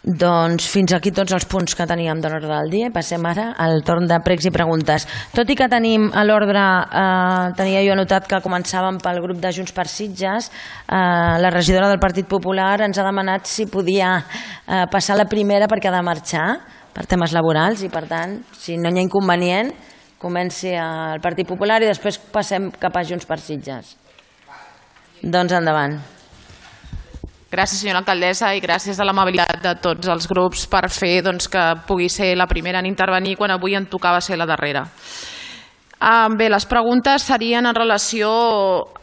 Doncs fins aquí tots els punts que teníem de l'ordre del dia. Passem ara al torn de pregs i preguntes. Tot i que tenim a l'ordre, tenia jo anotat que començàvem pel grup de Junts per Sitges, la regidora del Partit Popular ens ha demanat si podia passar la primera perquè ha de marxar per temes laborals i per tant, si no hi ha inconvenient, comenci al Partit Popular i després passem cap a Junts per Sitges. Doncs endavant. Gràcies, senyora alcaldessa, i gràcies a l'amabilitat de tots els grups per fer que pugui ser la primera en intervenir quan avui em tocava ser la darrera. Bé, les preguntes serien en relació...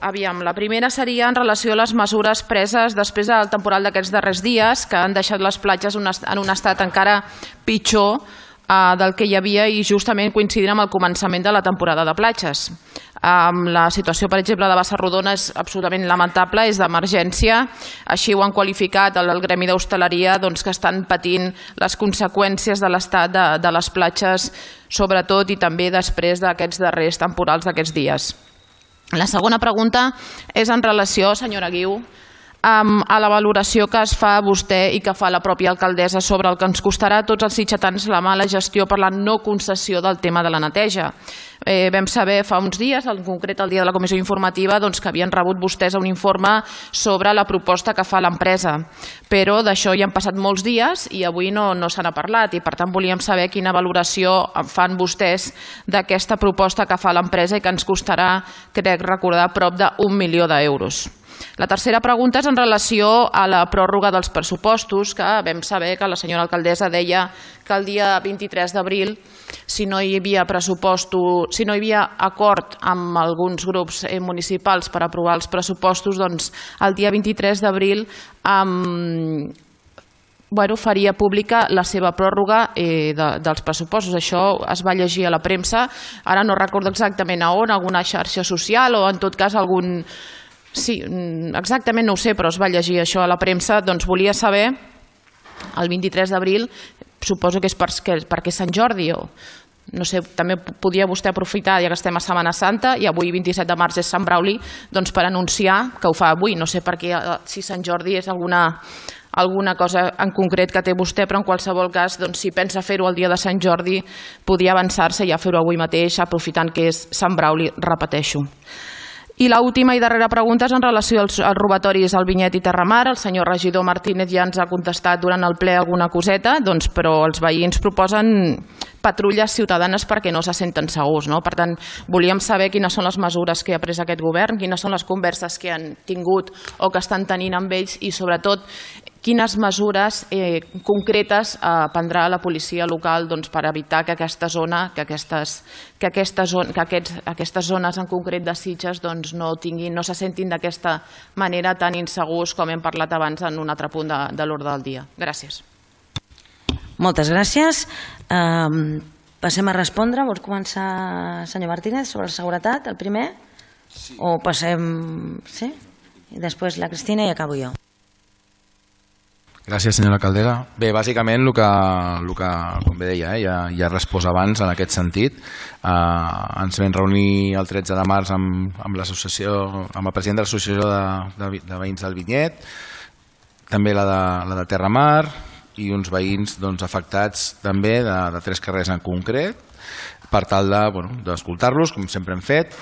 la primera seria en relació a les mesures preses després del temporal d'aquests darrers dies que han deixat les platges en un estat encara pitjor del que hi havia i justament coincidint amb el començament de la temporada de platges. La situació, per exemple, de Bassarrodona és absolutament lamentable, és d'emergència. Així ho han qualificat el gremi d'hostaleria, que estan patint les conseqüències de l'estat de les platges, sobretot i també després d'aquests darrers temporals d'aquests dies. La segona pregunta és en relació, senyora Guiu, a la valoració que es fa vostè i que fa la pròpia alcaldessa sobre el que ens costarà a tots els sitgetans la mala gestió per la no concessió del tema de la neteja. Vam saber fa uns dies, en concret el dia de la comissió informativa, que havien rebut vostès un informe sobre la proposta que fa l'empresa, però d'això ja han passat molts dies i avui no se n'ha parlat i per tant volíem saber quina valoració fan vostès d'aquesta proposta que fa l'empresa i que ens costarà, crec recordar, prop d'1 milió d'euros. La tercera pregunta és en relació a la pròrroga dels pressupostos, que vam saber que la senyora alcaldessa deia que el dia 23 d'abril, si no hi havia acord amb alguns grups municipals per aprovar els pressupostos, doncs el dia 23 d'abril faria pública la seva pròrroga dels pressupostos. Això es va llegir a la premsa, ara no recordo exactament a on, alguna xarxa social o en tot cas algun... Sí, exactament no ho sé, però es va llegir això a la premsa. Doncs volia saber, el 23 d'abril, suposo que és perquè és Sant Jordi o... No sé, també podia vostè aprofitar, ja que estem a Setmana Santa i avui 27 de març és Sant Brauli, doncs per anunciar que ho fa avui. No sé per què, si Sant Jordi és alguna cosa en concret que té vostè, però en qualsevol cas, si pensa fer-ho el dia de Sant Jordi, podia avançar-se i ja fer-ho avui mateix, aprofitant que és Sant Brauli, repeteixo. I l'última i darrera pregunta és en relació als robatoris al Vinyet i Terramar. El senyor regidor Martínez ja ens ha contestat durant el ple alguna coseta, però els veïns proposen patrulles ciutadanes perquè no se senten segurs. Per tant, volíem saber quines són les mesures que ha pres aquest govern, quines són les converses que han tingut o que estan tenint amb ells i, sobretot, quines mesures concretes prendrà la policia local per evitar que aquestes zones en concret de Sitges no se sentin d'aquesta manera tan insegurs com hem parlat abans en un altre punt de l'ordre del dia. Gràcies. Moltes gràcies. Passem a respondre. Vols començar, senyor Martínez, sobre la seguretat, el primer? O passem... Sí? I després la Cristina i acabo jo. Gràcies, senyora alcaldessa. Bé, bàsicament, el que com bé deia, ja he respost abans en aquest sentit. Ens vam reunir el 13 de març amb el president de l'Associació de Veïns del Vinyet, també la de Terramar i uns veïns afectats també de 3 carrers en concret, per tal d'escoltar-los, com sempre hem fet.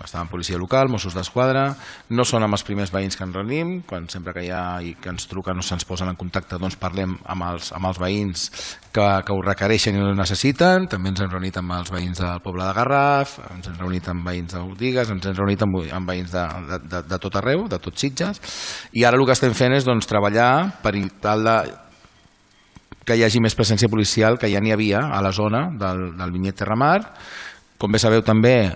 Estaven policia local, Mossos d'Esquadra, no són els primers veïns que ens reunim, quan sempre que hi ha i que ens truquen o se'ns posen en contacte parlem amb els veïns que ho requereixen i ho necessiten. També ens hem reunit amb els veïns del poble de Garraf, ens hem reunit amb veïns de Botigues, ens hem reunit amb veïns de tot arreu, de tot Sitges, i ara el que estem fent és treballar per tal que hi hagi més presència policial que ja n'hi havia a la zona del Vinyet Terramar. Com bé sabeu també,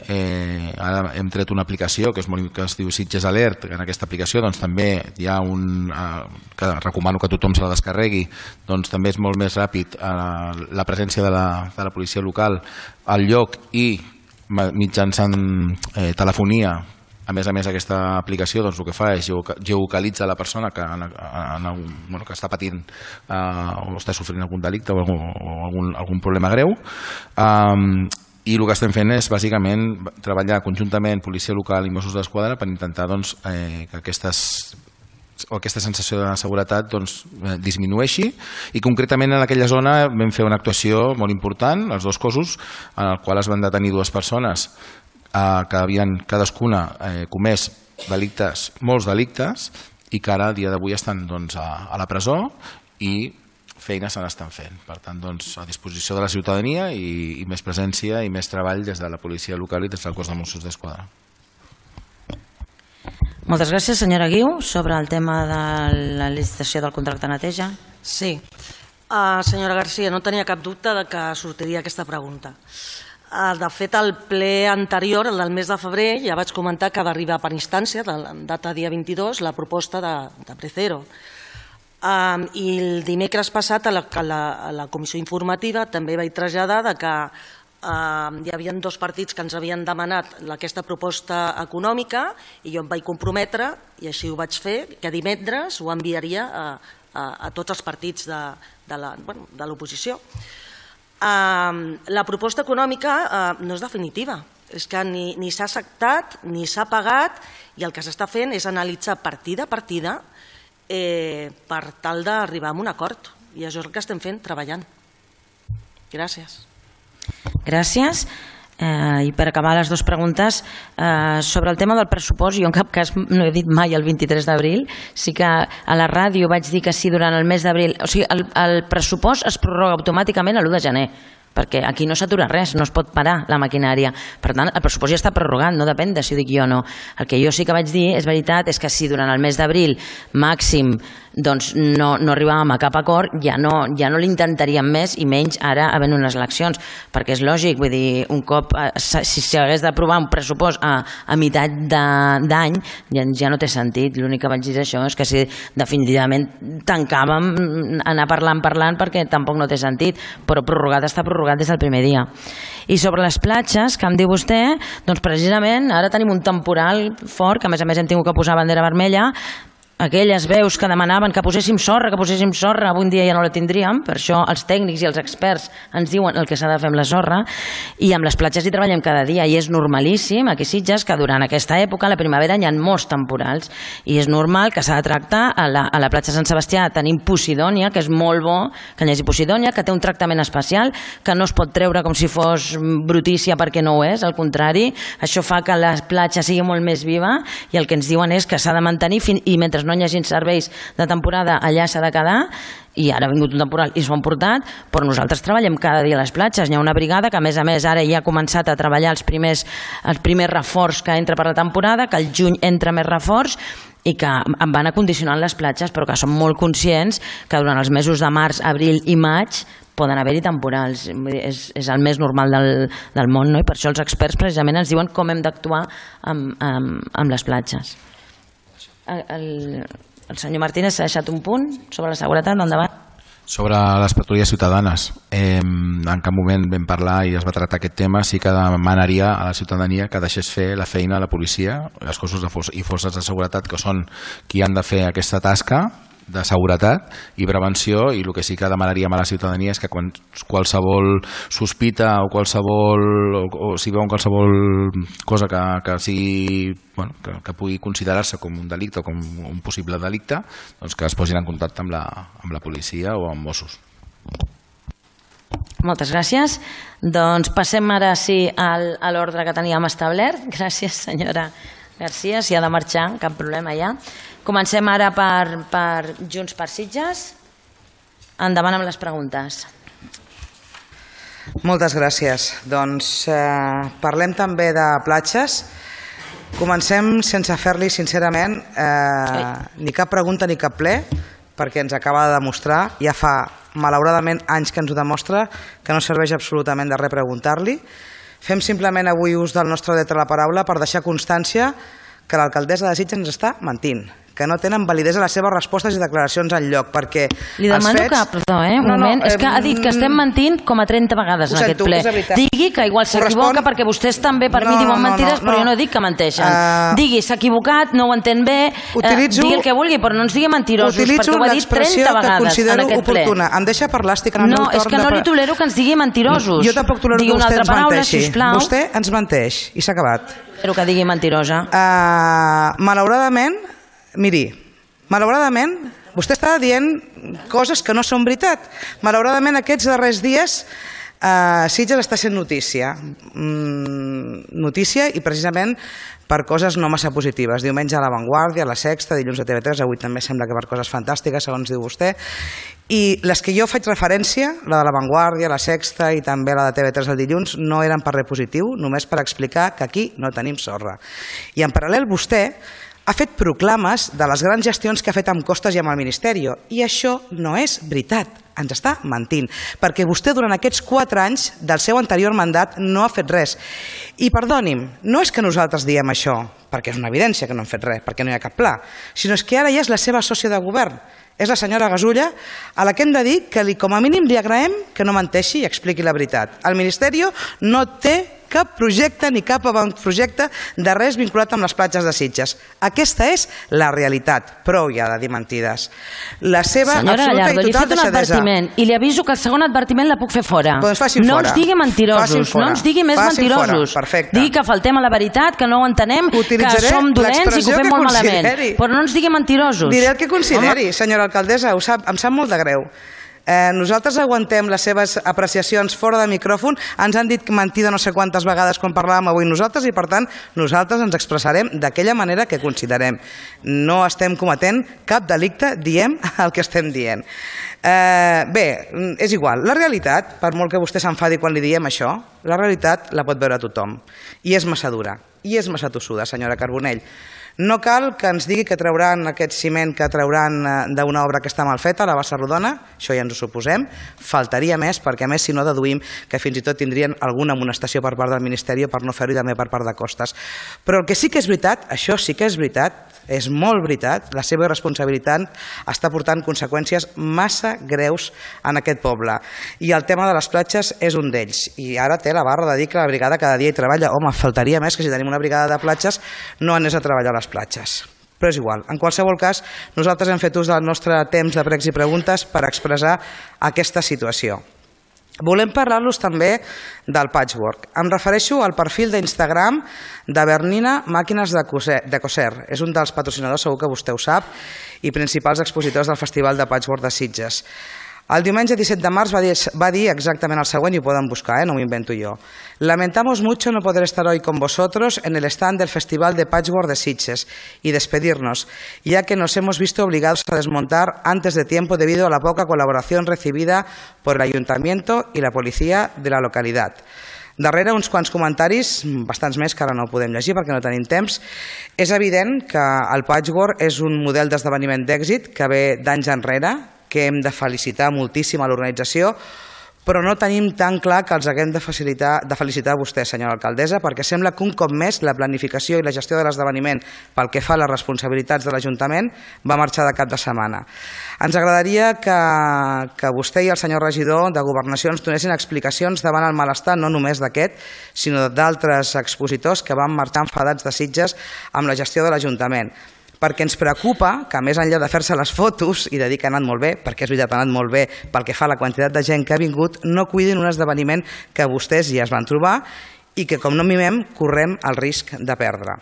ara hem tret una aplicació que es diu Sitges Alert, que en aquesta aplicació també hi ha que recomano que tothom se la descarregui, també és molt més ràpid la presència de la policia local al lloc i mitjançant telefonia. A més, aquesta aplicació el que fa és geolocalitza la persona que està patint o està sofrint algun delicte o algun problema greu. I el que estem fent és bàsicament treballar conjuntament policia local i Mossos d'Esquadra per intentar que aquestes o aquesta sensació de seguretat disminueixi, i concretament en aquella zona vam fer una actuació molt important, els dos cossos, en el qual es van detenir dues persones que havien cadascuna comès delictes, molts delictes, i que ara a dia d'avui estan a la presó i feines se n'estan fent. Per tant, a disposició de la ciutadania i més presència i més treball des de la policia local i des del cos de Mossos d'Esquadra. Moltes gràcies, senyora Guiu. Sobre el tema de la licitació del contracte de neteja. Sí. Senyora García, no tenia cap dubte de que sortiria aquesta pregunta. De fet, al ple anterior, el del mes de febrer, ja vaig comentar que va arribar per instància, data dia 22, la proposta de Precero. I el dimecres passat a la comissió informativa també vaig traslladar que hi havia dos partits que ens havien demanat aquesta proposta econòmica i jo em vaig comprometre, i així ho vaig fer, que divendres ho enviaria a tots els partits de l'oposició. La proposta econòmica no és definitiva, és que ni s'ha acceptat ni s'ha pagat, i el que s'està fent és analitzar partida a partida per tal d'arribar a un acord, i això és el que estem fent, treballant. Gràcies. Gràcies. I per acabar les dues preguntes, sobre el tema del pressupost, jo en cap cas no he dit mai el 23 d'abril, sí que a la ràdio vaig dir que si durant el mes d'abril, o sigui, el pressupost es prorroga automàticament a l'1 de gener, perquè aquí no s'atura res, no es pot parar la maquinària. Per tant, el pressupost ja està prorrogat, no depèn de si ho dic jo o no. El que jo sí que vaig dir, és veritat, és que si durant el mes d'abril màxim no arribàvem a cap acord, ja no l'intentaríem més, i menys ara havent unes eleccions, perquè és lògic, vull dir, un cop, si s'hagués d'aprovar un pressupost a meitat d'any, ja no té sentit. L'únic que vaig dir això és que si definitivament tancàvem anar parlant, perquè tampoc no té sentit, però prorrogat està prorrogat des del primer dia. I sobre les platges, que em diu vostè, doncs precisament ara tenim un temporal fort, que a més hem tingut que posar bandera vermella. Aquelles veus que demanaven que poséssim sorra, avui en dia ja no la tindríem, per això els tècnics i els experts ens diuen el que s'ha de fer amb la sorra, i amb les platges hi treballem cada dia, i és normalíssim aquí a Sitges que durant aquesta època, a la primavera, hi ha molts temporals, i és normal que s'ha de tractar. A la platja Sant Sebastià tenim Posidònia, que és molt bo que hi hagi Posidònia, que té un tractament especial, que no es pot treure com si fos brutícia perquè no ho és, al contrari, això fa que la platja sigui molt més viva, i el que ens diuen és que s'ha de mantenir i mentre no hi hagi serveis de temporada allà s'ha de quedar, i ara ha vingut un temporal i s'ho han portat, però nosaltres treballem cada dia a les platges. Hi ha una brigada que a més ara ja ha començat a treballar els primers reforç que entra per la temporada, que al juny entra més reforç, i que en van acondicionant les platges, però que som molt conscients que durant els mesos de març, abril i maig poden haver-hi temporals. És el més normal del món, no? I per això els experts precisament ens diuen com hem d'actuar amb les platges. El senyor Martínez s'ha deixat un punt sobre la seguretat, endavant. Sobre les patrulles ciutadanes, en cap moment vam parlar i es va tractar aquest tema. Sí que demanaria a la ciutadania que deixés fer la feina a la policia, els cossos i forces de seguretat, que són qui han de fer aquesta tasca de seguretat i prevenció, i el que sí que demanaríem a la ciutadania és que qualsevol sospita o si veuen qualsevol cosa que sigui, que pugui considerar-se com un delicte o com un possible delicte, doncs que es posin en contacte amb la policia o amb Mossos. Moltes gràcies. Doncs passem ara sí a l'ordre que teníem establert. Gràcies, senyora García. Si ha de marxar, cap problema ja. Comencem ara per Junts per Sitges. Endavant amb les preguntes. Moltes gràcies. Doncs parlem també de platges. Comencem sense fer-li, sincerament, ni cap pregunta ni cap ple, perquè ens acaba de demostrar, ja fa malauradament anys que ens ho demostra, que no serveix absolutament de res preguntar-li. Fem simplement avui ús del nostre dret a la paraula per deixar constància que l'alcaldessa de Sitges ens està mentint, que no tenen validesa les seves respostes i declaracions enlloc, perquè li demano que, perdó, un moment, és que ha dit que estem mentint com a 30 vegades en aquest ple. Digui que igual s'equivoca, perquè vostès també per mi diuen mentides, però jo no dic que menteixen. Digui, s'ha equivocat, no ho entén bé, digui el que vulgui, però no ens digui mentirosos, perquè ho ha dit 30 vegades en aquest ple. Em deixa parlar, estic en el meu torn. No, és que no li tolero que ens digui mentirosos. Jo tampoc tolero que vostè ens menteixi. Vostè ens menteix, i s'ha acabat. Espero que digui mentirosa. Malauradament, miri, Malauradament, vostè està dient coses que no són veritat. Malauradament, aquests darrers dies Sitges està sent notícia. Notícia i precisament per coses no massa positives. Diumenge a La Vanguardia, a La Sexta, dilluns a TV3, avui també sembla que per coses fantàstiques, segons diu vostè. I les que jo faig referència, la de La Vanguardia, La Sexta i també la de TV3 el dilluns, no eren per res positiu, només per explicar que aquí no tenim sorra. I en paral·lel vostè ha fet proclames de les grans gestions que ha fet amb Costes i amb el Ministeri, i això no és veritat. Ens està mentint, perquè vostè durant aquests 4 anys del seu anterior mandat no ha fet res. I perdoni'm, no és que nosaltres diem això, perquè és una evidència que no hem fet res, perquè no hi ha cap pla, sinó és que ara ja és la seva sòcia de govern, és la senyora Gasulla, a la que hem de dir que com a mínim li agraem que no menteixi i expliqui la veritat. El Ministeri no té cap projecte ni cap avantprojecte de res vinculat amb les platges de Sitges. Aquesta és la realitat. Prou ja de dir mentides. La seva senyora absoluta Gallardo, i total li he fet un advertiment i li aviso que el segon advertiment la puc fer fora. Doncs faci'm no fora. ens digui mentirosos, no ens digui més Faci'm mentirosos. fora. Perfecte. Digui que faltem a la veritat, que no ho entenem, que Utilitzaré som dolents i que ho l'expressió fem que molt malament. consideri. Però no ens digui mentirosos. Diré el que consideri, senyora alcaldessa, em sap molt de greu. Nosaltres aguantem les seves apreciacions fora de micròfon, ens han dit mentida no sé quantes vegades quan parlàvem avui nosaltres i per tant nosaltres ens expressarem d'aquella manera que considerem. No estem cometent cap delicte, diem el que estem dient. Bé, és igual, la realitat, per molt que vostè s'enfadi quan li diem això, la realitat la pot veure tothom i és massa dura, i és massa tossuda, senyora Carbonell. No cal que ens digui que trauran aquest ciment que trauran d'una obra que està mal feta, la bassa rodona, això ja ens ho suposem, faltaria més, perquè a més si no deduïm que fins i tot tindrien alguna amonestació per part del Ministeri per no fer-ho i també per part de Costes. Però el que sí que és veritat, això sí que és veritat, és molt veritat, la seva irresponsabilitat està portant conseqüències massa greus en aquest poble. I el tema de les platges és un d'ells. I ara té la barra de dir que la brigada cada dia hi treballa. Home, faltaria més que si tenim una brigada de platges no anés a treballar a les platges. Però és igual. En qualsevol cas, nosaltres hem fet ús del nostre temps de pregs i preguntes per expressar aquesta situació. Volem parlar-los també del patchwork. Em refereixo al perfil d'Instagram de Bernina Màquines de Coser. És un dels patrocinadors, segur que vostè ho sap, i principals expositors del Festival de Patchwork de Sitges. El diumenge 17 de març va dir exactament el següent, i ho poden buscar, no m'ho invento jo. Lamentamos mucho no poder estar hoy con vosotros en el stand del Festival de Patchwork de Sitges y despedirnos, ya que nos hemos visto obligados a desmontar antes de tiempo debido a la poca colaboración recibida por el Ayuntamiento y la policía de la localidad. Darrere uns quants comentaris, bastants més que ara no podem llegir perquè no tenim temps. És evident que el patchwork és un model d'esdeveniment d'èxit que ve d'anys enrere, que hem de felicitar moltíssim a l'organització, però no tenim tan clar que els haguem de felicitar a vostè, senyora alcaldessa, perquè sembla que un cop més la planificació i la gestió de l'esdeveniment pel que fa a les responsabilitats de l'Ajuntament va marxar de cap de setmana. Ens agradaria que vostè i el senyor regidor de Governació ens donessin explicacions davant el malestar no només d'aquest, sinó d'altres expositors que van marxar enfadats de Sitges amb la gestió de l'Ajuntament. Perquè ens preocupa que, més enllà de fer-se les fotos i de dir que ha anat molt bé, perquè és veritat, ha anat molt bé pel que fa a la quantitat de gent que ha vingut, no cuidin un esdeveniment que vostès ja es van trobar i que, com no mimem, correm el risc de perdre.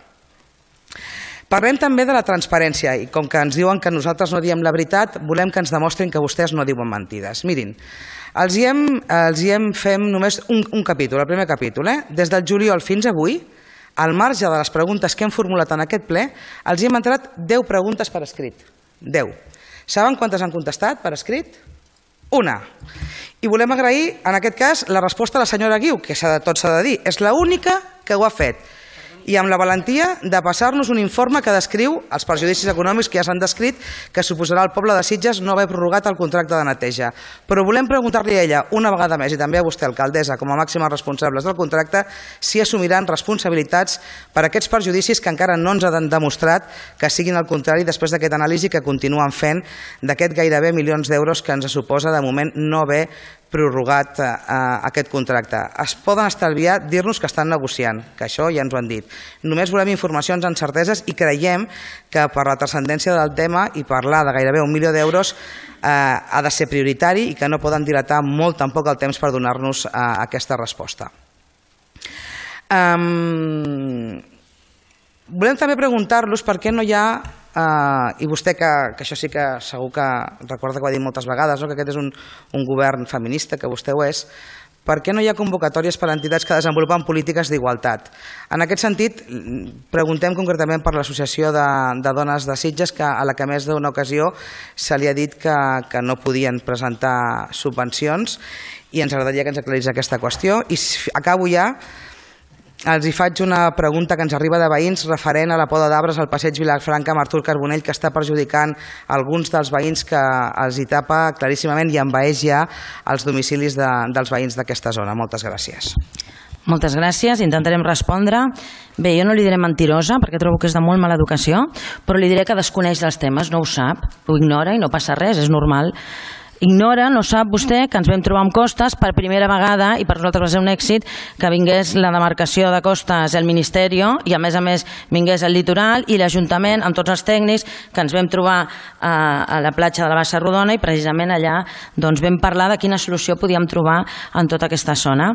Parlem també de la transparència i com que ens diuen que nosaltres no diem la veritat, volem que ens demostrin que vostès no diuen mentides. Mirin, fem només un capítol, el primer capítol. Des del juliol fins avui, al marge de les preguntes que hem formulat en aquest ple, els hi hem entrat 10 preguntes per escrit. 10. Saben quantes han contestat per escrit? Una. I volem agrair, en aquest cas, la resposta de la senyora Guiu, que tot s'ha de dir. És l'única que ho ha fet. I amb la valentia de passar-nos un informe que descriu els perjudicis econòmics que ja s'han descrit que suposarà al poble de Sitges no haver prorrogat el contracte de neteja. Però volem preguntar-li a ella una vegada més, i també a vostè, alcaldessa, com a màximes responsables del contracte, si assumiran responsabilitats per aquests perjudicis que encara no ens han demostrat que siguin al contrari després d'aquest anàlisi que continuen fent d'aquest gairebé milions d'euros que ens suposa de moment no haver prorrogat aquest contracte. Es poden estalviar dir-nos que estan negociant, que això ja ens ho han dit. Només volem informacions amb certeses i creiem que per la transcendència del tema i parlar de gairebé 1 milió d'euros ha de ser prioritari i que no poden dilatar molt tampoc el temps per donar-nos aquesta resposta. Volem també preguntar-los per què no hi ha i vostè, que això sí que segur que recorda que ho ha dit moltes vegades, que aquest és un govern feminista, que vostè ho és, per què no hi ha convocatòries per a entitats que desenvolupen polítiques d'igualtat? En aquest sentit, preguntem concretament per l'Associació de Dones de Sitges, a la que més d'una ocasió se li ha dit que no podien presentar subvencions, i ens agradaria que ens aclarís aquesta qüestió. I acabo ja. Els hi faig una pregunta que ens arriba de veïns referent a la poda d'arbres al passeig Vilafranca amb Artur Carbonell, que està perjudicant alguns dels veïns, que els hi tapa claríssimament i envaeix ja els domicilis dels veïns d'aquesta zona. Moltes gràcies. Moltes gràcies, intentarem respondre. Bé, jo no li diré mentirosa perquè trobo que és de molt mala educació, però li diré que desconeix els temes, no ho sap, ho ignora i no passa res, és normal. Ignora, no sap vostè, que ens vam trobar amb Costes per primera vegada, i per nosaltres va ser un èxit que vingués la demarcació de Costes al Ministeri, i a més vingués el litoral i l'Ajuntament amb tots els tècnics, que ens vam trobar a la platja de la Baixa Rodona, i precisament allà vam parlar de quina solució podíem trobar en tota aquesta zona.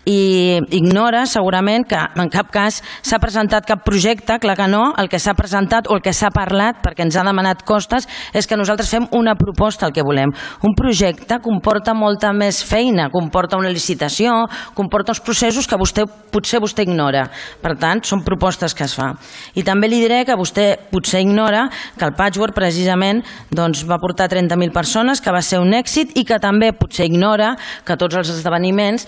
I ignora segurament que en cap cas s'ha presentat cap projecte, clar que no. El que s'ha presentat o el que s'ha parlat, perquè ens ha demanat Costes, és que nosaltres fem una proposta, el que volem. Un projecte comporta molta més feina, comporta una licitació, comporta uns processos que potser vostè ignora. Per tant, són propostes que es fa. I també li diré que vostè potser ignora que el Patchwork precisament va portar 30.000 persones, que va ser un èxit, i que també potser ignora que tots els esdeveniments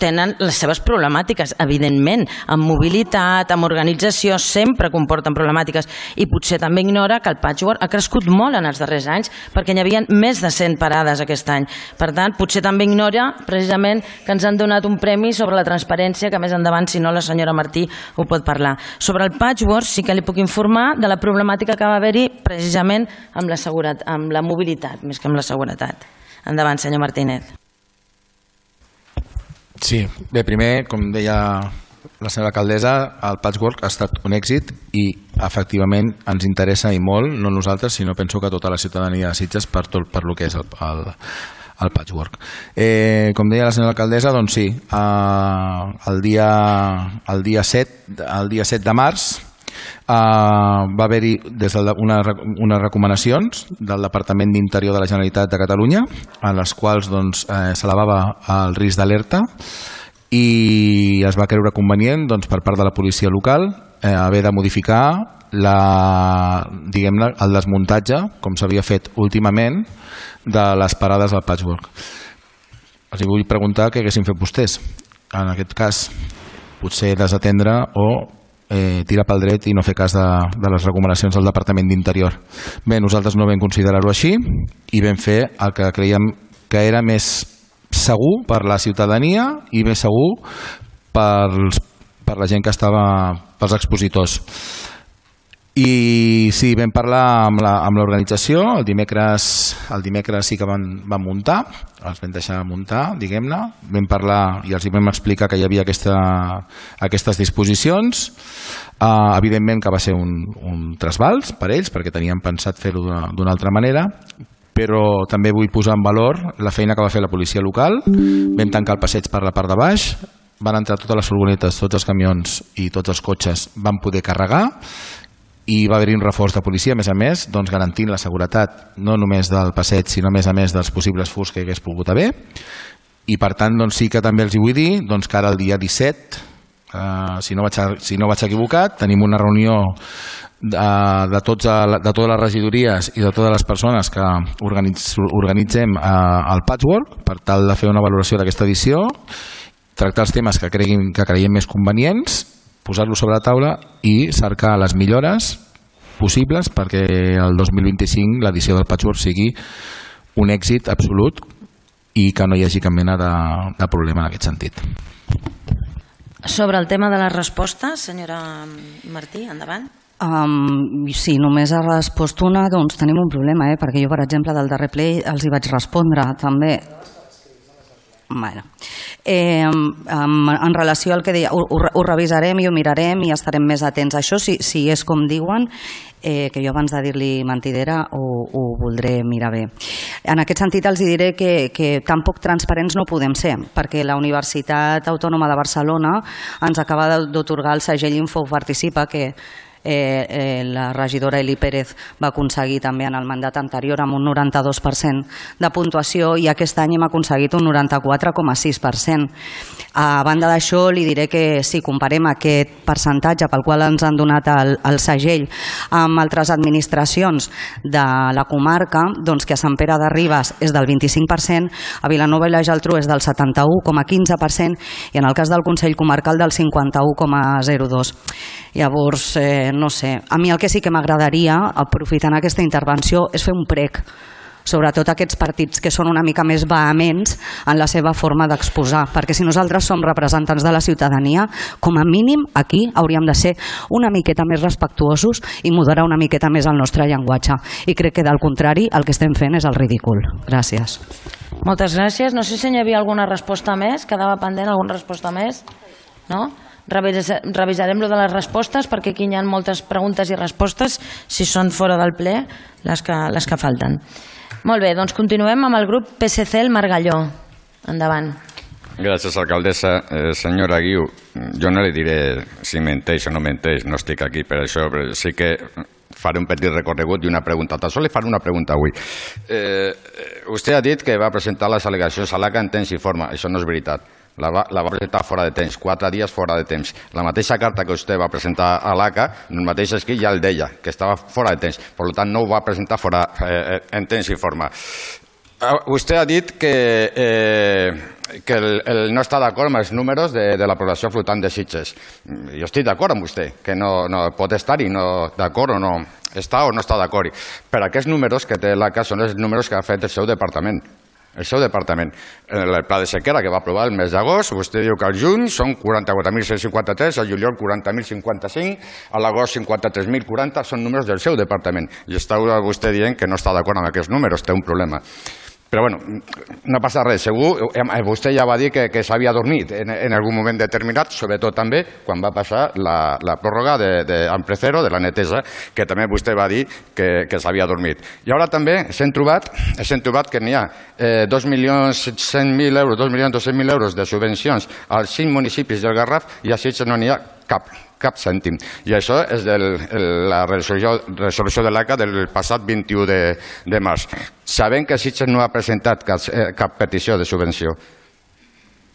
tenen les seves problemàtiques, evidentment, amb mobilitat, amb organització, sempre comporten problemàtiques, i potser també ignora que el Patchwork ha crescut molt en els darrers anys, perquè n'hi havia més de 100 parades aquest any. Per tant, potser també ignora precisament que ens han donat un premi sobre la transparència, que més endavant, si no, la senyora Martí ho pot parlar. Sobre el Patchwork sí que li puc informar de la problemàtica que va haver-hi precisament amb la mobilitat, més que amb la seguretat. Endavant, senyor Martínez. Sí, bé, primer, com deia la senyora alcaldessa, el Patchwork ha estat un èxit i efectivament ens interessa i molt, no nosaltres, sinó penso que tota la ciutadania de Sitges per el que és el Patchwork. Com deia la senyora alcaldessa, doncs sí, el dia 7 de març va haver-hi unes recomanacions del Departament d'Interior de la Generalitat de Catalunya, en les quals s'elevava el risc d'alerta, i es va creure convenient per part de la policia local haver de modificar el desmuntatge, com s'havia fet últimament, de les parades del Patchwork. Els vull preguntar què haguessin fet vostès. En aquest cas, potser desatendre o tirar pel dret i no fer cas de les recomanacions del Departament d'Interior. Bé, nosaltres no vam considerar-ho així i vam fer el que creiem que era més segur per la ciutadania i més segur per la gent que estava, pels expositors. I sí, vam parlar amb l'organització, el dimecres sí que van muntar, els vam deixar muntar, diguem-ne, vam parlar i els vam explicar que hi havia aquestes disposicions. Evidentment que va ser un trasbals per ells, perquè tenien pensat fer-ho d'una altra manera, però també vull posar en valor la feina que va fer la policia local. Vam tancar el passeig per la part de baix, van entrar totes les furgonetes, tots els camions i tots els cotxes van poder carregar, i va haver-hi un reforç de policia, a més, garantint la seguretat no només del passeig, sinó a més dels possibles furs que hi hagués pogut haver. I per tant, sí que també els hi vull dir que ara el dia 17, si no vaig equivocat, tenim una reunió de totes les regidories i de totes les persones que organitzem el Patchwork per tal de fer una valoració d'aquesta edició, tractar els temes que creiem més convenients, posar-lo sobre la taula i cercar les millores possibles perquè el 2025 l'edició del Patchwork sigui un èxit absolut i que no hi hagi cap mena de problema en aquest sentit. Sobre el tema de les respostes, senyora Martí, endavant. Sí, només ha respost una, doncs tenim un problema, perquè jo, per exemple, del darrer ple els hi vaig respondre també. Bueno, en relació al que deia, ho revisarem i ho mirarem i estarem més atents a això, si és com diuen, que jo abans de dir-li mentidera ho voldré mirar bé. En aquest sentit els diré que tan poc transparents no podem ser, perquè la Universitat Autònoma de Barcelona ens acaba d'atorgar el segell Info Participa, que la regidora Eli Pérez va aconseguir també en el mandat anterior amb un 92% de puntuació i aquest any hem aconseguit un 94,6%. A banda d'això, li diré que si comparem aquest percentatge pel qual ens han donat el segell amb altres administracions de la comarca, doncs que a Sant Pere de Ribes és del 25%, a Vilanova i la Geltrú és del 71,15% i en el cas del Consell Comarcal del 51,02%. Llavors, no sé, a mi el que sí que m'agradaria, aprofitant aquesta intervenció, és fer un prec sobretot aquests partits que són una mica més vehements en la seva forma d'exposar, perquè si nosaltres som representants de la ciutadania, com a mínim aquí hauríem de ser una miqueta més respectuosos i moderar una miqueta més el nostre llenguatge, i crec que del contrari el que estem fent és el ridícul. Gràcies. Moltes gràcies. No sé si hi havia alguna resposta més, quedava pendent alguna resposta més? No? Revisarem lo de les respostes perquè aquí hi ha moltes preguntes i respostes, si són fora del ple les que falten. Molt bé, doncs continuem amb el grup PSC, el Margalló. Endavant. Gràcies, alcaldessa. Senyora Guiu, jo no li diré si menteix o no menteix, no estic aquí per això, però sí que faré un petit recorregut i una pregunta. Tan sols li faré una pregunta avui. Vostè ha dit que va presentar les al·legacions a l'ACA en temps i forma. Això no és veritat. La va presentar fora de temps, 4 dies fora de temps. La mateixa carta que vostè va presentar a l'ACA, el mateix escrit ja el deia, que estava fora de temps. Per tant, no ho va presentar en temps i forma. Vostè ha dit que no està d'acord amb els números de la població flotant de Sitges. Jo estic d'acord amb vostè, que no pot estar-hi d'acord o no està o no està d'acord. Però aquests números que té l'ACA són els números que ha fet el seu departament. El seu departament. El pla de sequera que va aprovar el mes d'agost, vostè diu que al juny són 44.153, al juliol 40.055, a l'agost 53.040, són números del seu departament. I està vostè dient que no està d'acord amb aquests números, té un problema. Però bueno, no passa res, segur, vostè ja va dir que s'havia dormit en algun moment determinat, sobretot també quan va passar la pròrroga d'Amprecero, de la netesa, que també vostè va dir que s'havia dormit. I ara també s'hem trobat que n'hi ha 2.100.000 euros, 2.200.000 euros de subvencions als 5 municipis del Garraf i a Sitges no n'hi ha cap cèntim. I això és de la resolució de l'ACA del passat 21 de març. Sabem que Sitges no ha presentat cap petició de subvenció.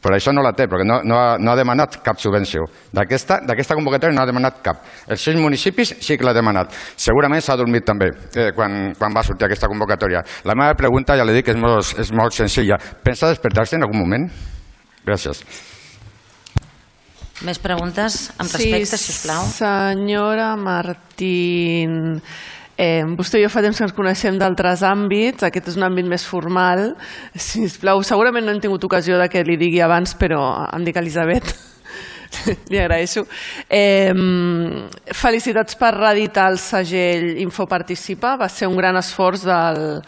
Per això no la té, perquè no ha demanat cap subvenció. D'aquesta convocatòria no ha demanat cap. Els 6 municipis sí que l'ha demanat. Segurament s'ha dormit també quan va sortir aquesta convocatòria. La meva pregunta, ja li dic, és molt senzilla. Pensa despertar-se en algun moment? Gràcies. Més preguntes amb respecte, sisplau. Senyora Martín, vostè i jo fa temps que ens coneixem d'altres àmbits, aquest és un àmbit més formal. Sisplau, segurament no hem tingut ocasió de que li digui abans, però em dic Elisabet. Li agraeixo. Felicitats per reeditar el segell Infoparticipa. Va ser un gran esforç del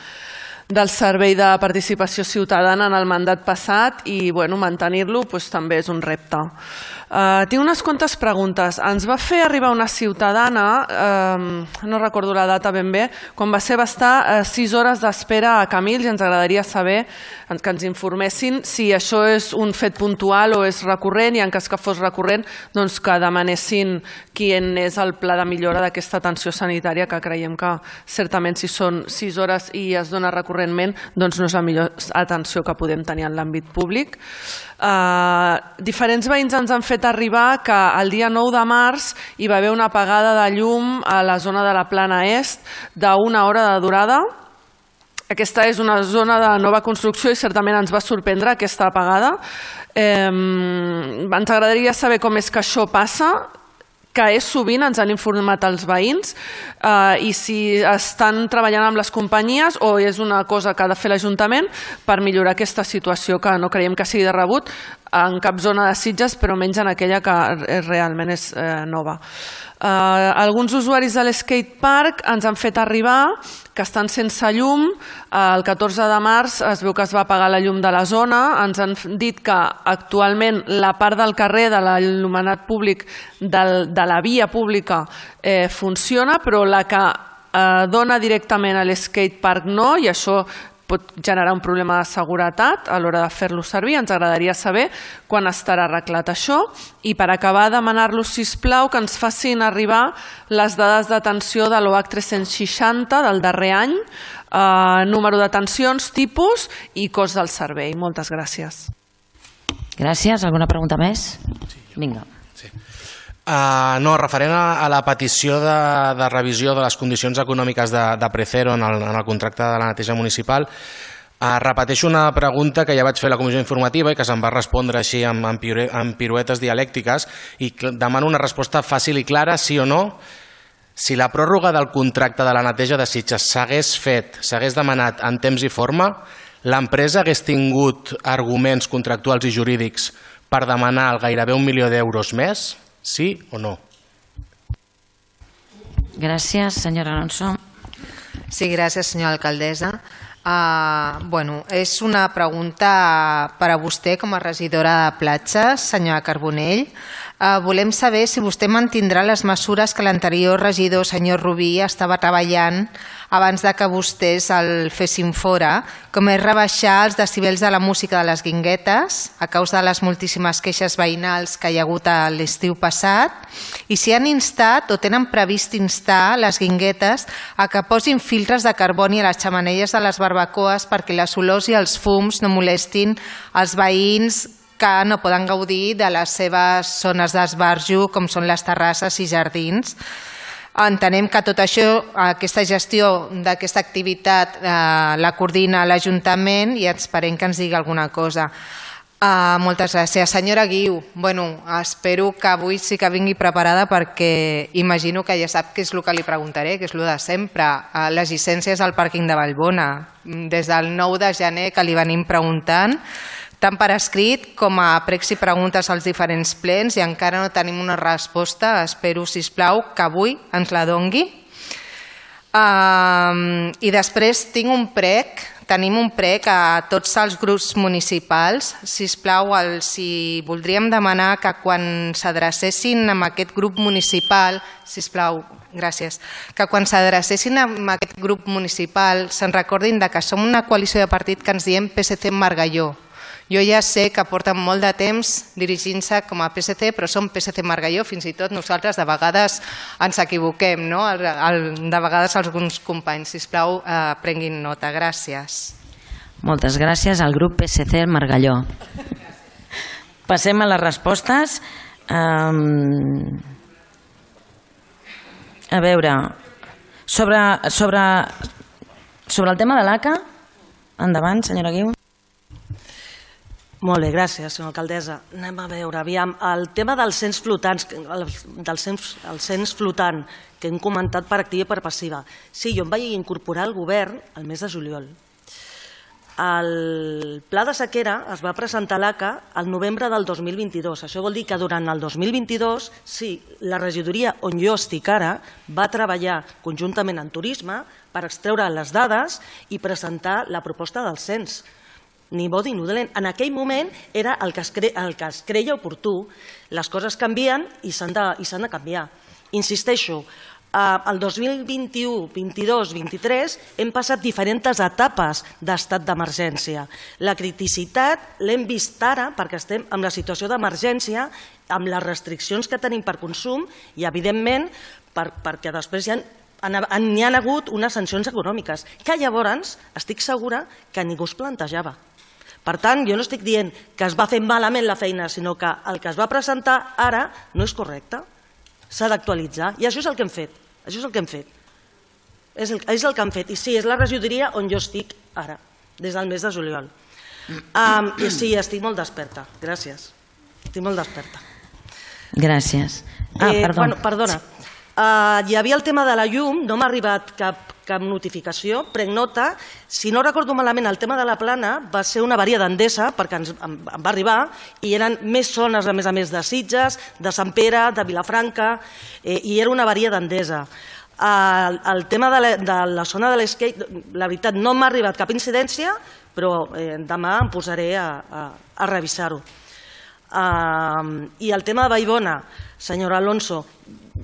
Servei de Participació Ciutadana en el mandat passat i mantenir-lo també és un repte. Tinc unes quantes preguntes. Ens va fer arribar una ciutadana, no recordo la data ben bé, quan va estar 6 hores d'espera a Camils i ens agradaria saber que ens informessin si això és un fet puntual o és recurrent i en cas que fos recurrent que demanessin quin és el pla de millora d'aquesta atenció sanitària, que creiem que certament si són 6 hores i es dona recurrentment no és la millor atenció que podem tenir en l'àmbit públic. Diferents veïns ens han fet arribar que el dia 9 de març hi va haver una apagada de llum a la zona de la Plana Est d'una hora de durada. Aquesta és una zona de nova construcció i certament ens va sorprendre aquesta apagada. Ens agradaria saber com és que això passa, que és sovint, ens han informat els veïns, i si estan treballant amb les companyies o és una cosa que ha de fer l'Ajuntament per millorar aquesta situació, que no creiem que sigui de rebut en cap zona de Sitges, però menys en aquella que realment és nova. Alguns usuaris de l'skatepark ens han fet arribar que estan sense llum. El 14 de març es veu que es va apagar la llum de la zona. Ens han dit que actualment la part del carrer de l'il·luminat públic de la via pública funciona, però la que dona directament a l'skatepark no, i això pot generar un problema de seguretat a l'hora de fer-lo servir. Ens agradaria saber quan estarà arreglat això i per acabar demanar-los, sisplau, que ens facin arribar les dades d'atenció de l'OH 360 del darrer any, número d'atencions, tipus i cost del servei. Moltes gràcies. Gràcies. Alguna pregunta més? Vinga. No, referent a la petició de revisió de les condicions econòmiques de Precero en el contracte de la neteja municipal, repeteixo una pregunta que ja vaig fer a la comissió informativa i que se'm va respondre així amb piruetes dialèctiques, i demano una resposta fàcil i clara, sí o no. Si la pròrroga del contracte de la neteja de Sitges s'hagués demanat en temps i forma, l'empresa hagués tingut arguments contractuals i jurídics per demanar gairebé 1 milió d'euros més? Sí o no? Gràcies, senyora Alonso. Sí, gràcies, senyora alcaldessa. És una pregunta per a vostè com a regidora de platges, senyora Carbonell. Volem saber si vostè mantindrà les mesures que l'anterior regidor, senyor Rubí, estava treballant abans de que vostès el fessin fora, com és rebaixar els decibels de la música de les guinguetes a causa de les moltíssimes queixes veïnals que hi ha hagut a l'estiu passat, i si han instat o tenen previst instar les guinguetes a que posin filtres de carboni a les xemeneies de les barbacoes perquè les olors i els fums no molestin els veïns que no poden gaudir de les seves zones d'esbarjo, com són les terrasses i jardins. Entenem que tot això, aquesta gestió d'aquesta activitat la coordina l'Ajuntament i esperem que ens digui alguna cosa. Moltes gràcies. Senyora Guiu, espero que avui sí que vingui preparada perquè imagino que ja sap què és el que li preguntaré, que és el de sempre. Les llicències al pàrquing de Vallbona. Des del 9 de gener que li venim preguntant, tant per escrit com a pregs i preguntes als diferents plens, i encara no tenim una resposta. Espero, sisplau, que avui ens la dongui. I després tenim un prec a tots els grups municipals. Sisplau, si voldríem demanar que quan s'adrecessin a aquest grup municipal, sisplau, gràcies, que quan s'adrecessin a aquest grup municipal se'n recordin que som una coalició de partit que ens diem PSC Margalló. Jo ja sé que porten molt de temps dirigint-se com a PSC, però som PSC Margalló, fins i tot nosaltres de vegades ens equivoquem, no? De vegades alguns companys. Sisplau, prenguin nota. Gràcies. Moltes gràcies al grup PSC Margalló. Passem a les respostes. A veure, sobre el tema de l'ACA, endavant, senyora Guiu. Molt bé, gràcies, senyora alcaldessa. Anem a veure, aviam, el tema dels cens flotants, el cens flotant que hem comentat per activa i per passiva. Sí, jo em vaig incorporar al govern el mes de juliol. El pla de sequera es va presentar a l'ACA al novembre del 2022. Això vol dir que durant el 2022, sí, la regidoria on jo estic ara va treballar conjuntament en turisme per extreure les dades i presentar la proposta del cens. Ni bo ni dolent. En aquell moment era el que es creia oportú. Les coses canvien i s'han de canviar. Insisteixo, el 2021, 22, 23 hem passat diferents etapes d'estat d'emergència. La criticitat l'hem vist ara perquè estem en la situació d'emergència, amb les restriccions que tenim per consum i, evidentment, perquè després n'hi ha hagut unes sancions econòmiques que llavors estic segura que ningú es plantejava. Per tant, jo no estic dient que es va fer malament la feina, sinó que el que es va presentar ara no és correcte. S'ha d'actualitzar. I això és el que hem fet. Això és el que hem fet. És el que hem fet. I sí, és la regidoria on jo estic ara, des del mes de juliol. I sí, estic molt desperta. Gràcies. Estic molt desperta. Gràcies. Perdona. Hi havia el tema de la llum, no m'ha arribat cap notificació, prenc nota. Si no recordo malament, el tema de la plana va ser una avaria d'Endesa, perquè em va arribar, i eren més zones, a més de Sitges, de Sant Pere, de Vilafranca, i era una avaria d'Endesa. El tema de la zona de l'Escape, la veritat, no m'ha arribat cap incidència, però demà em posaré a revisar-ho. I el tema de Vallbona, senyor Alonso,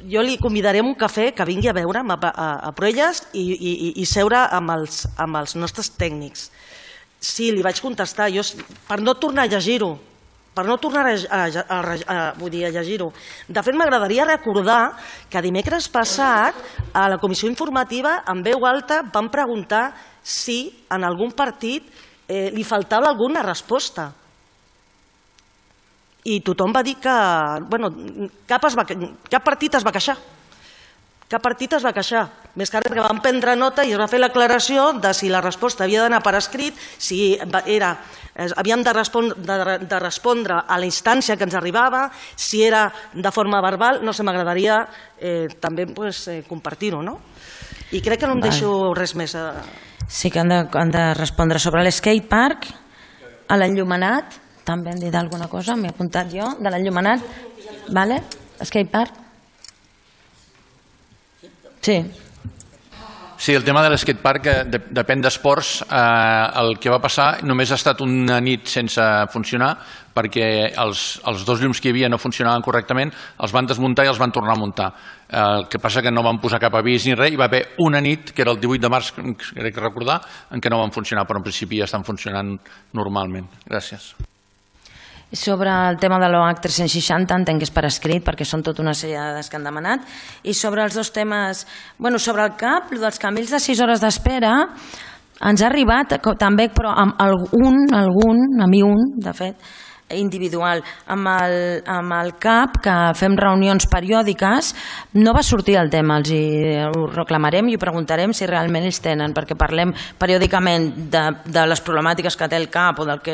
jo li convidaré un cafè que vingui a veure'm a Proelles i seure amb els nostres tècnics. Sí, li vaig contestar, per no tornar a llegir-ho, a llegir-ho. De fet, m'agradaria recordar que dimecres passat a la comissió informativa en veu alta vam preguntar si en algun partit li faltava alguna resposta. I tothom va dir que cap partit es va queixar. Cap partit es va queixar. Més que perquè van prendre nota i es va fer l'aclaració de si la resposta havia d'anar per escrit, si havíem de respondre a la instància que ens arribava, si era de forma verbal, no sé, m'agradaria també compartir-ho, no? I crec que no em deixo res més. Sí que han de respondre sobre l'skatepark, a l'enllumenat, també hem dit alguna cosa, m'he apuntat jo, de l'enllumenat, vale? Skatepark? Sí. Sí, el tema de l'skatepark depèn d'esports. El que va passar només ha estat una nit sense funcionar perquè els dos llums que hi havia no funcionaven correctament, els van desmuntar i els van tornar a muntar. El que passa que no van posar cap avís ni res, hi va haver una nit, que era el 18 de març, crec recordar, en què no van funcionar, però en principi ja estan funcionant normalment. Gràcies. Sobre el tema de l'OH 360 entenc que és per escrit perquè són tota una sèrie de dades que han demanat, i sobre els dos temes, sobre el CAP, dels canvis de 6 hores d'espera ens ha arribat també, però amb de fet individual. Amb el CAP, que fem reunions periòdiques, no va sortir el tema, ho reclamarem i ho preguntarem si realment ells tenen, perquè parlem periòdicament de les problemàtiques que té el CAP o del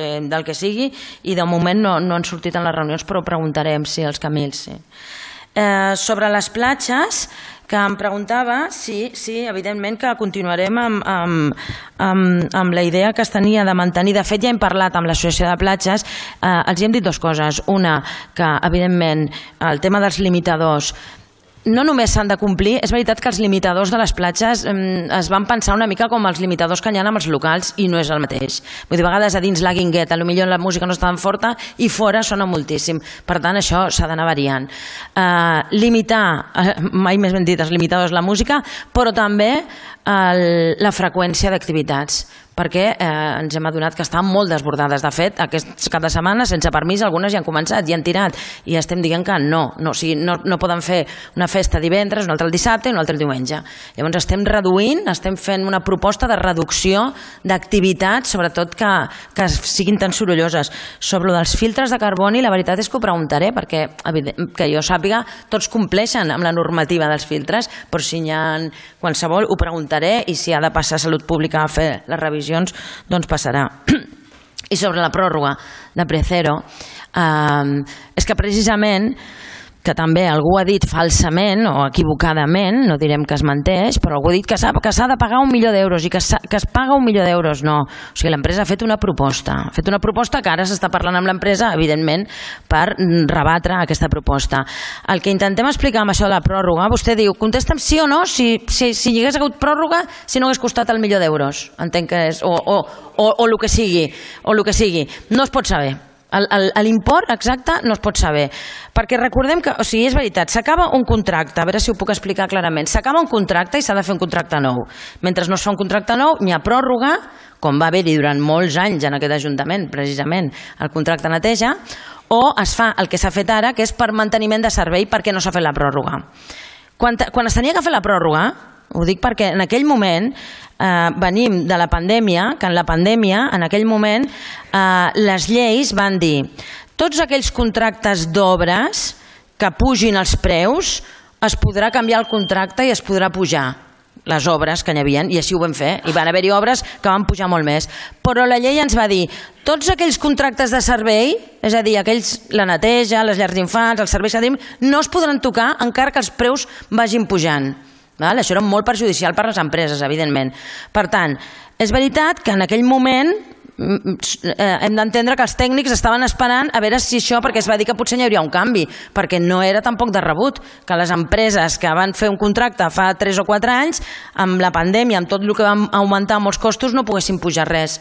que sigui, i de moment no han sortit en les reunions, però preguntarem si els Camils. Sobre les platges, que em preguntava, sí, evidentment que continuarem amb la idea que es tenia de mantenir. De fet, ja hem parlat amb l'Associació de Platges, els hem dit dues coses. Una, que evidentment el tema dels limitadors no només s'han de complir, és veritat que els limitadors de les platges es van pensar una mica com els limitadors que hi ha amb els locals i no és el mateix. Vull dir, a vegades a dins la guingueta potser la música no està tan forta i fora sona moltíssim. Per tant, això s'ha d'anar variant. Limitar, mai més ben dit, els limitadors la música, però també la freqüència d'activitats, perquè ens hem adonat que estan molt desbordades. De fet, cada setmana, sense permís, algunes ja han començat i han tirat, i estem dient que no poden fer una festa divendres, una altra el dissabte i una altra el diumenge. Llavors estem reduint, estem fent una proposta de reducció d'activitats, sobretot que siguin tan sorolloses. Sobre els filtres de carboni, la veritat és que ho preguntaré, perquè que jo sàpiga, tots compleixen amb la normativa dels filtres, però si n'hi ha qualsevol ho preguntaré, i si ha de passar a Salut Pública a fer les revisions, doncs passarà. I sobre la pròrroga de Precero, és que precisament, que també algú ha dit falsament o equivocadament, no direm que es menteix, però algú ha dit que s'ha de pagar 1 milió d'euros i que es paga 1 milió d'euros. No, o sigui, l'empresa ha fet una proposta, que ara s'està parlant amb l'empresa, evidentment, per rebatre aquesta proposta. El que intentem explicar amb això de la pròrroga, vostè diu, contesta'm sí o no, si hi hagués hagut pròrroga, si no hagués costat 1 milió d'euros, entenc que és, o el que sigui, no es pot saber. L'import exacte no es pot saber, perquè recordem que, o sigui, és veritat, s'acaba un contracte, a veure si ho puc explicar clarament, s'acaba un contracte i s'ha de fer un contracte nou. Mentre no es fa un contracte nou, n'hi ha pròrroga, com va haver-hi durant molts anys en aquest Ajuntament, precisament, el contracte neteja, o es fa el que s'ha fet ara, que és per manteniment de servei perquè no s'ha fet la pròrroga. Quan es tenia que fer la pròrroga, ho dic perquè en aquell moment venim de la pandèmia, que en la pandèmia, en aquell moment, les lleis van dir tots aquells contractes d'obres que pugin els preus, es podrà canviar el contracte i es podrà pujar les obres que n'hi havia, i així ho vam fer, i van haver-hi obres que van pujar molt més. Però la llei ens va dir tots aquells contractes de servei, és a dir, la neteja, les llars d'infants, els serveis que tenim, no es podran tocar encara que els preus vagin pujant. Això era molt perjudicial per a les empreses, evidentment. Per tant, és veritat que en aquell moment hem d'entendre que els tècnics estaven esperant a veure si això, perquè es va dir que potser hi hauria un canvi, perquè no era tampoc de rebut que les empreses que van fer un contracte fa 3 o 4 anys, amb la pandèmia, amb tot el que van augmentar molts costos, no poguessin pujar res.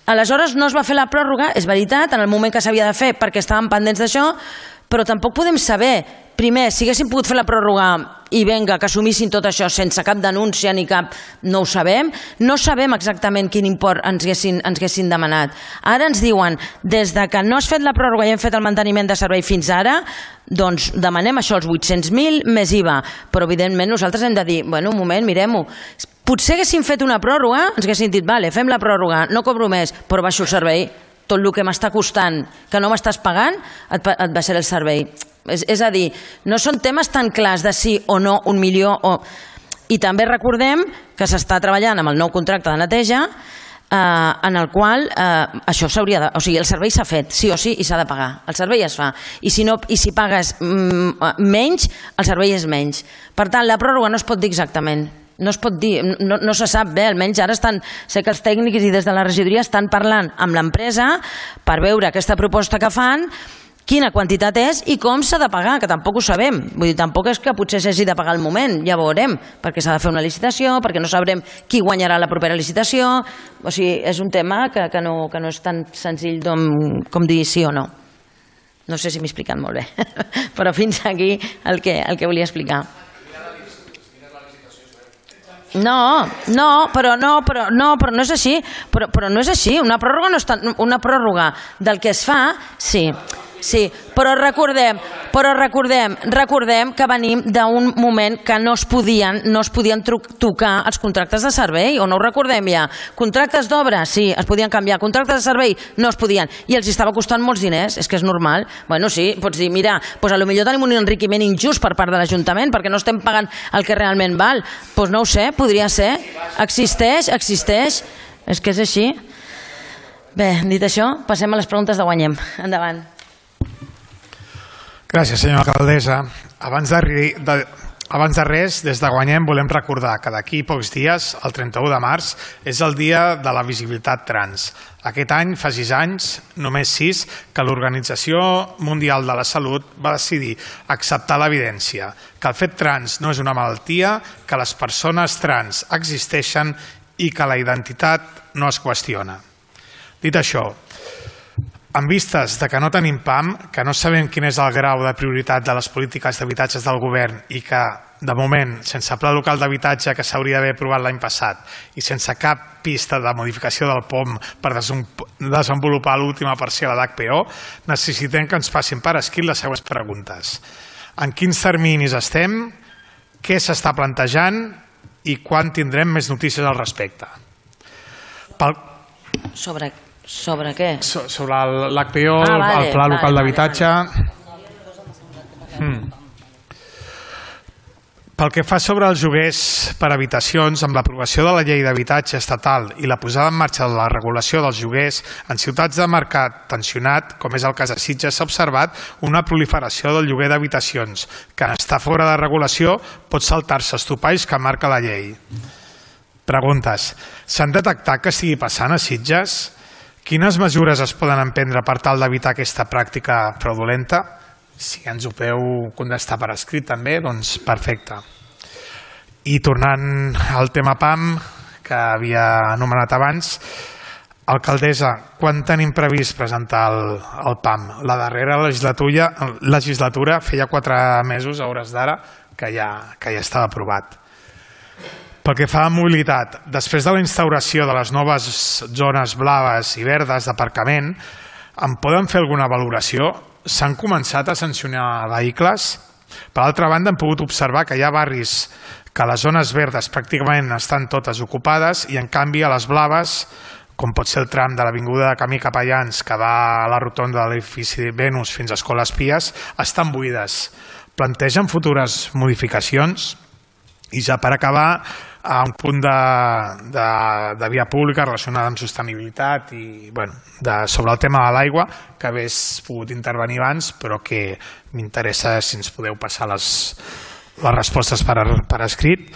Aleshores no es va fer la pròrroga, és veritat, en el moment que s'havia de fer perquè estàvem pendents d'això, però tampoc podem saber, primer, si haguéssim pogut fer la pròrroga i vinga, que assumissin tot això sense cap denúncia ni cap... no ho sabem. No sabem exactament quin import ens haguessin demanat. Ara ens diuen, des de que no has fet la pròrroga i hem fet el manteniment de servei fins ara, doncs demanem això, els 800.000 més IVA. Però evidentment nosaltres hem de dir, bueno, un moment, mirem-ho. Potser haguéssim fet una pròrroga, ens haguessin dit, vale, fem la pròrroga, no cobro més, però baixo el servei. Tot el que m'està costant, que no m'estàs pagant, et baixaré el servei. És a dir, no són temes tan clars de sí o no, 1 milió o... I també recordem que s'està treballant amb el nou contracte de neteja en el qual això s'hauria de... O sigui, el servei s'ha fet, sí o sí, i s'ha de pagar. El servei es fa. I si pagues menys, el servei és menys. Per tant, la pròrroga no es pot dir exactament. No es pot dir, no se sap bé, almenys ara sé que els tècnics i des de la regidoria estan parlant amb l'empresa per veure aquesta proposta que fan, quina quantitat és i com s'ha de pagar, que tampoc ho sabem. Vull dir, tampoc és que potser s'hagi de pagar al moment, ja veurem, perquè s'ha de fer una licitació, perquè no sabrem qui guanyarà la propera licitació, o sigui, és un tema que no és tan senzill com dir sí o no. No sé si m'he explicat molt bé, però fins aquí el que volia explicar. No, però no és així. Però no és així. Una pròrroga del que es fa, sí, però recordem que venim d'un moment que no es podien tocar els contractes de servei, o no ho recordem ja? Contractes d'obra, sí, es podien canviar. Contractes de servei, no es podien. I els estava costant molts diners, és que és normal. Bueno, sí, pots dir, mira, doncs potser tenim un enriquiment injust per part de l'Ajuntament, perquè no estem pagant el que realment val. Doncs no ho sé, podria ser. Existeix. És que és així. Bé, dit això, passem a les preguntes de Guanyem. Endavant. Gràcies, senyora alcaldessa. Abans de res, des de Guanyem volem recordar que d'aquí pocs dies, el 31 de març, és el dia de la visibilitat trans. Aquest any, fa 6 anys, només 6, que l'Organització Mundial de la Salut va decidir acceptar l'evidència, que el fet trans no és una malaltia, que les persones trans existeixen i que la identitat no es qüestiona. Dit això, en vistes de que no tenim PAM, que no sabem quin és el grau de prioritat de les polítiques d'habitatges del govern i que, de moment, sense pla local d'habitatge que s'hauria d'haver aprovat l'any passat i sense cap pista de modificació del POM per desenvolupar l'última parcel·la d'HPO, necessitem que ens facin per escrit les següents preguntes. En quins terminis estem? Què s'està plantejant? I quan tindrem més notícies al respecte? Sobre què? Sobre l'HPO, el Pla Local d'Habitatge. Pel que fa sobre els lloguers per habitacions, amb l'aprovació de la llei d'habitatge estatal i la posada en marxa de la regulació dels lloguers, en ciutats de mercat tensionat, com és el cas de Sitges, s'ha observat una proliferació del lloguer d'habitacions, que en estar fora de regulació pot saltar-se els topalls que marca la llei. Preguntes. S'han detectat que estigui passant a Sitges? Quines mesures es poden emprendre per tal d'evitar aquesta pràctica fraudulenta? Si ens ho podeu contestar per escrit també, doncs perfecte. I tornant al tema PAM, que havia anomenat abans, alcaldessa, quan tenim previst presentar el PAM? La darrera legislatura feia 4 mesos, a hores d'ara, que ja estava aprovat. Pel que fa a mobilitat, després de la instauració de les noves zones blaves i verdes d'aparcament, en poden fer alguna valoració? S'han començat a sancionar vehicles? Per altra banda, hem pogut observar que hi ha barris que les zones verdes pràcticament estan totes ocupades i, en canvi, a les blaves, com pot ser el tram de l'avinguda de Camí Capellans que va a la rotonda de l'edifici Venus fins a Escola Espies, estan buides. Plantegen futures modificacions? I ja per acabar, a un punt de via pública relacionada amb sostenibilitat i sobre el tema de l'aigua, que hagués pogut intervenir abans, però que m'interessa si ens podeu passar les respostes per escrit.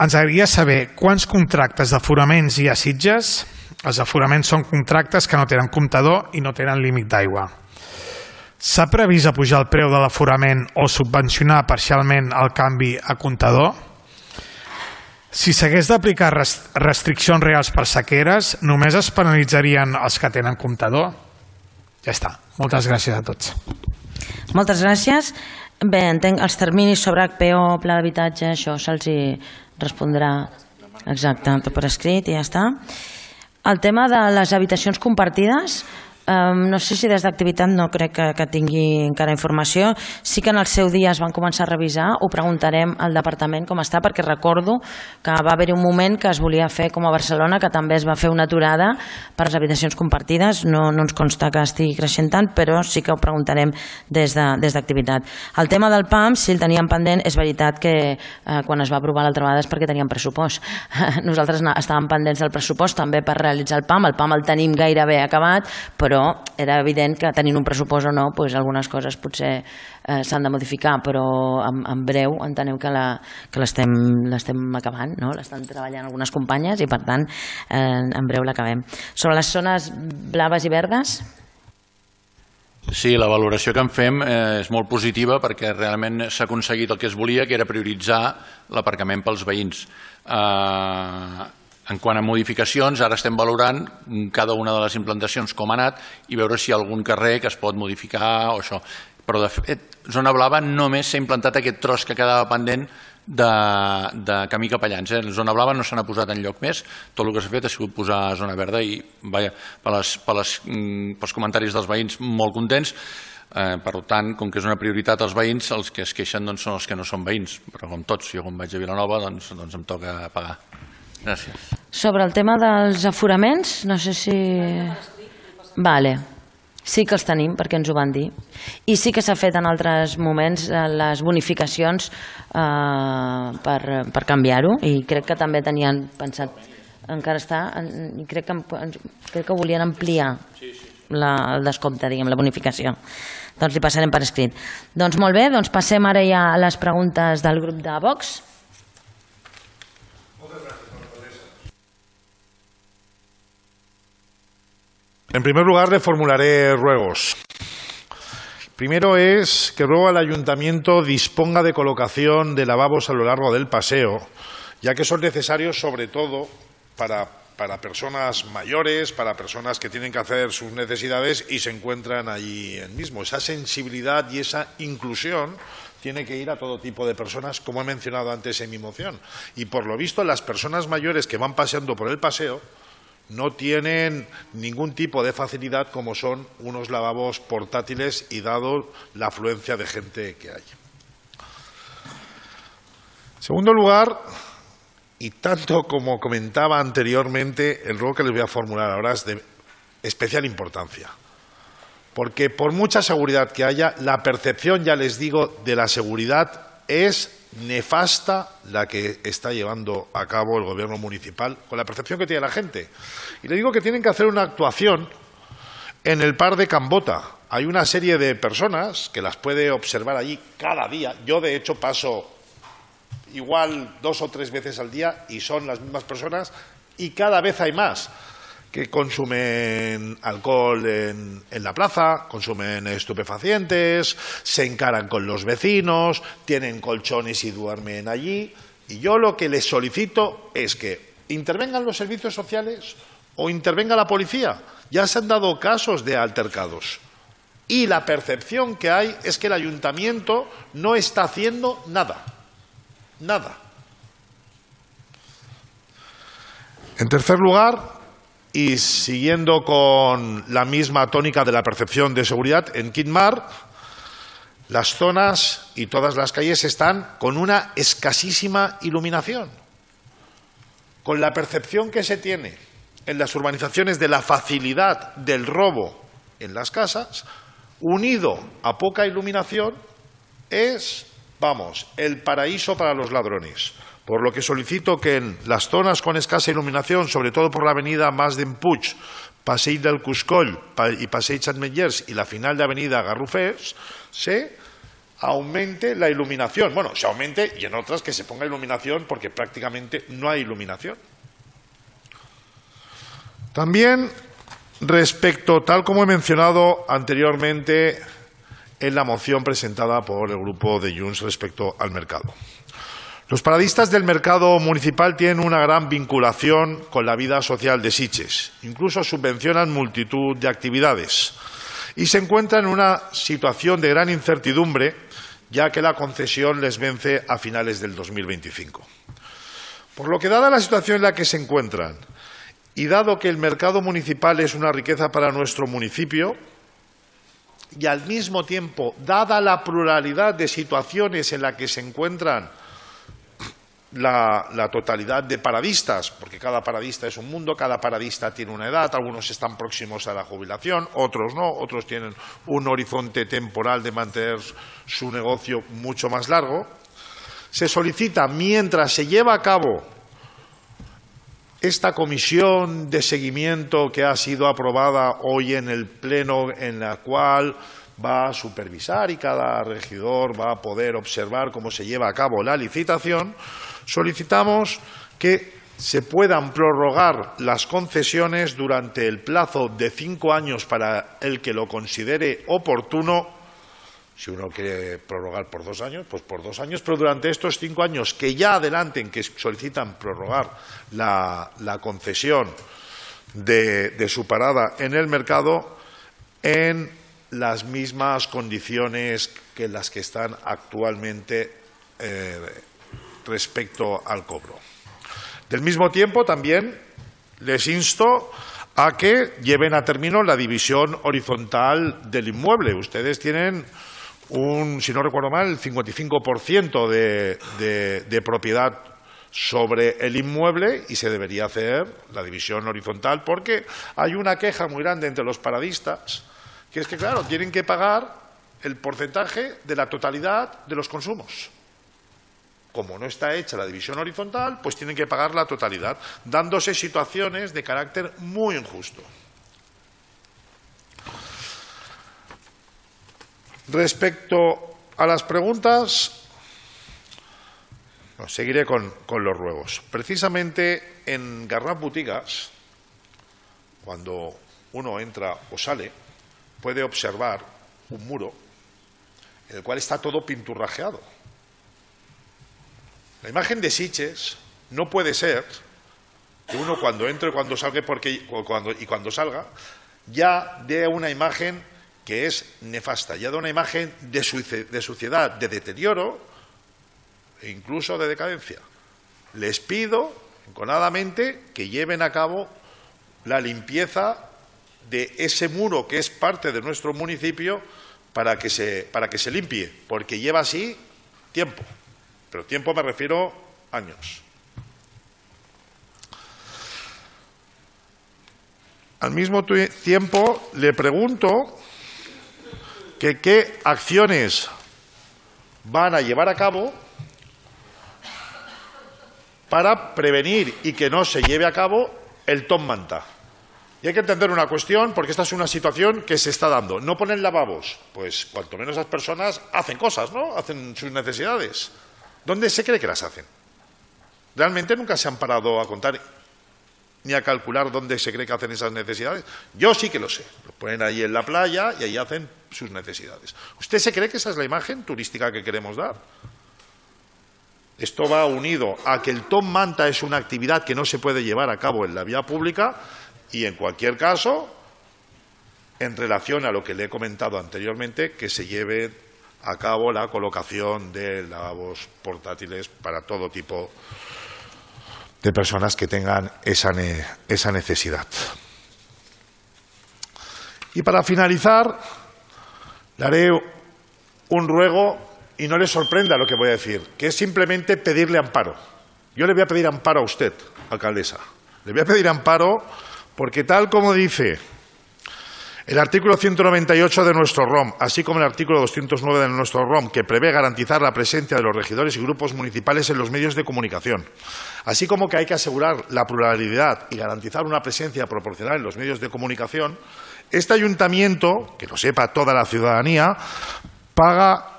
Ens agradaria saber quants contractes d'aforaments hi ha a Sitges. Els aforaments són contractes que no tenen comptador i no tenen límit d'aigua. S'ha previst apujar el preu de l'aforament o subvencionar parcialment el canvi a comptador? Si s'hagués d'aplicar restriccions reals per sequeres, només es penalitzarien els que tenen comptador? Ja està. Moltes gràcies a tots. Moltes gràcies. Bé, entenc els terminis sobre HPO, pla d'habitatge, això se'ls respondrà exacte, tot per escrit i ja està. El tema de les habitacions compartides, no sé si des d'activitat no crec que tingui encara informació. Sí que en el seu dia es van començar a revisar, ho preguntarem al departament com està, perquè recordo que va haver-hi un moment que es volia fer com a Barcelona, que també es va fer una aturada per les habitacions compartides. No ens consta que estigui creixent tant, però sí que ho preguntarem des d'activitat. El tema del PAM, si el teníem pendent, és veritat que quan es va aprovar l'altra vegada és perquè teníem pressupost. Nosaltres estàvem pendents del pressupost també per realitzar el PAM el tenim gairebé acabat, però era evident que tenint un pressupost o no, algunes coses potser s'han de modificar, però en breu enteneu que l'estem acabant, l'estan treballant algunes companyes i per tant en breu l'acabem. Sobre les zones blaves i verdes? Sí, la valoració que en fem és molt positiva perquè realment s'ha aconseguit el que es volia, que era prioritzar l'aparcament pels veïns. En quant a modificacions, ara estem valorant cada una de les implantacions com ha anat i veure si hi ha algun carrer que es pot modificar o això. Però de fet, Zona Blava només s'ha implantat aquest tros que quedava pendent de camí Capellans. Zona Blava no se n'ha posat enlloc més, tot el que s'ha fet ha sigut posar Zona Verda i pels comentaris dels veïns molt contents. Per tant, com que és una prioritat als veïns, els que es queixen són els que no són veïns, però com tots, jo quan vaig a Vilanova doncs em toca pagar. Gràcies. Sobre el tema dels aforaments, no sé si... Vale. Sí que els tenim, perquè ens ho van dir. I sí que s'ha fet en altres moments les bonificacions per canviar-ho, i crec que també tenien pensat, encara està, i crec que volien ampliar el descompte, diguem, la bonificació. Doncs li passarem per escrit. Doncs molt bé, doncs passem ara ja a les preguntes del grup de Vox. En primer lugar, le formularé ruegos. Primero es que ruego al ayuntamiento disponga de colocación de lavabos a lo largo del paseo, ya que son necesarios sobre todo para personas mayores, para personas que tienen que hacer sus necesidades y se encuentran allí mismo. Esa sensibilidad y esa inclusión tiene que ir a todo tipo de personas, como he mencionado antes en mi moción. Y por lo visto, las personas mayores que van paseando por el paseo no tienen ningún tipo de facilidad como son unos lavabos portátiles y dado la afluencia de gente que hay. En segundo lugar, y tanto como comentaba anteriormente, el ruego que les voy a formular ahora es de especial importancia. Porque por mucha seguridad que haya, la percepción, ya les digo, de la seguridad es nefasta la que está llevando a cabo el gobierno municipal con la percepción que tiene la gente. Y le digo que tienen que hacer una actuación en el Parc de Can Bota. Hay una serie de personas que las puede observar allí cada día. Yo, de hecho, paso igual 2 o 3 veces al día y son las mismas personas y cada vez hay más que consumen alcohol en la plaza, consumen estupefacientes, se encaran con los vecinos, tienen colchones y duermen allí. Y yo lo que les solicito es que intervengan los servicios sociales o intervenga la policía. Ya se han dado casos de altercados. Y la percepción que hay es que el ayuntamiento no está haciendo nada. Nada. En tercer lugar, y siguiendo con la misma tónica de la percepción de seguridad, en Quintmar las zonas y todas las calles están con una escasísima iluminación. Con la percepción que se tiene en las urbanizaciones de la facilidad del robo en las casas, unido a poca iluminación, es, vamos, el paraíso para los ladrones. Por lo que solicito que en las zonas con escasa iluminación, sobre todo por la avenida Mas d'en Puig, Passeig del Cuscoll y Passeig Ametllers y la final de avenida Garrofers, se aumente la iluminación. Bueno, se aumente y en otras que se ponga iluminación porque prácticamente no hay iluminación. También respecto, tal como he mencionado anteriormente en la moción presentada por el grupo de Junts respecto al mercado. Los paradistas del mercado municipal tienen una gran vinculación con la vida social de Sitges. Incluso subvencionan multitud de actividades y se encuentran en una situación de gran incertidumbre, ya que la concesión les vence a finales del 2025. Por lo que, dada la situación en la que se encuentran y dado que el mercado municipal es una riqueza para nuestro municipio, y al mismo tiempo, dada la pluralidad de situaciones en la que se encuentran la totalidad de paradistas, porque cada paradista es un mundo, cada paradista tiene una edad, algunos están próximos a la jubilación, otros no, otros tienen un horizonte temporal de mantener su negocio mucho más largo, se solicita, mientras se lleva a cabo esta comisión de seguimiento que ha sido aprobada hoy en el Pleno, en la cual va a supervisar y cada regidor va a poder observar cómo se lleva a cabo la licitación, solicitamos que se puedan prorrogar las concesiones durante el plazo de 5 años para el que lo considere oportuno. Si uno quiere prorrogar por 2 años, pues por 2 años, pero durante estos 5 años que ya adelanten, que solicitan prorrogar la concesión de su parada en el mercado en las mismas condiciones que las que están actualmente respecto al cobro. Del mismo tiempo, también les insto a que lleven a término la división horizontal del inmueble. Ustedes tienen si no recuerdo mal, el 55% de propiedad sobre el inmueble y se debería hacer la división horizontal porque hay una queja muy grande entre los paradistas, que es que, claro, tienen que pagar el porcentaje de la totalidad de los consumos. Como no está hecha la división horizontal, pues tienen que pagar la totalidad, dándose situaciones de carácter muy injusto. Respecto a las preguntas, seguiré con los ruegos. Precisamente en Garraf Botigas, cuando uno entra o sale, puede observar un muro en el cual está todo pinturrajeado. La imagen de Sitges no puede ser que uno cuando entre y cuando salga, cuando salga ya dé una imagen que es nefasta, ya da una imagen de suciedad, de deterioro e incluso de decadencia. Les pido enconadamente que lleven a cabo la limpieza de ese muro que es parte de nuestro municipio para que se limpie, porque lleva así tiempo, pero tiempo me refiero a años. Al mismo tiempo le pregunto qué acciones van a llevar a cabo para prevenir y que no se lleve a cabo el top manta. Y hay que entender una cuestión, porque esta es una situación que se está dando. No ponen lavabos, pues cuanto menos las personas hacen cosas, ¿no? Hacen sus necesidades. ¿Dónde se cree que las hacen? Realmente nunca se han parado a contar ni a calcular dónde se cree que hacen esas necesidades. Yo sí que lo sé. Lo ponen ahí en la playa y ahí hacen sus necesidades. ¿Usted se cree que esa es la imagen turística que queremos dar? Esto va unido a que el top manta es una actividad que no se puede llevar a cabo en la vía pública y, en cualquier caso, en relación a lo que le he comentado anteriormente, que se lleve a cabo la colocación de lavabos portátiles para todo tipo de personas que tengan esa necesidad. Y para finalizar, le haré un ruego, y no le sorprenda lo que voy a decir, que es simplemente pedirle amparo. Yo le voy a pedir amparo a usted, alcaldesa. Le voy a pedir amparo porque, tal como dice el artículo 198 de nuestro ROM, así como el artículo 209 de nuestro ROM, que prevé garantizar la presencia de los regidores y grupos municipales en los medios de comunicación, así como que hay que asegurar la pluralidad y garantizar una presencia proporcional en los medios de comunicación, este ayuntamiento, que lo sepa toda la ciudadanía, paga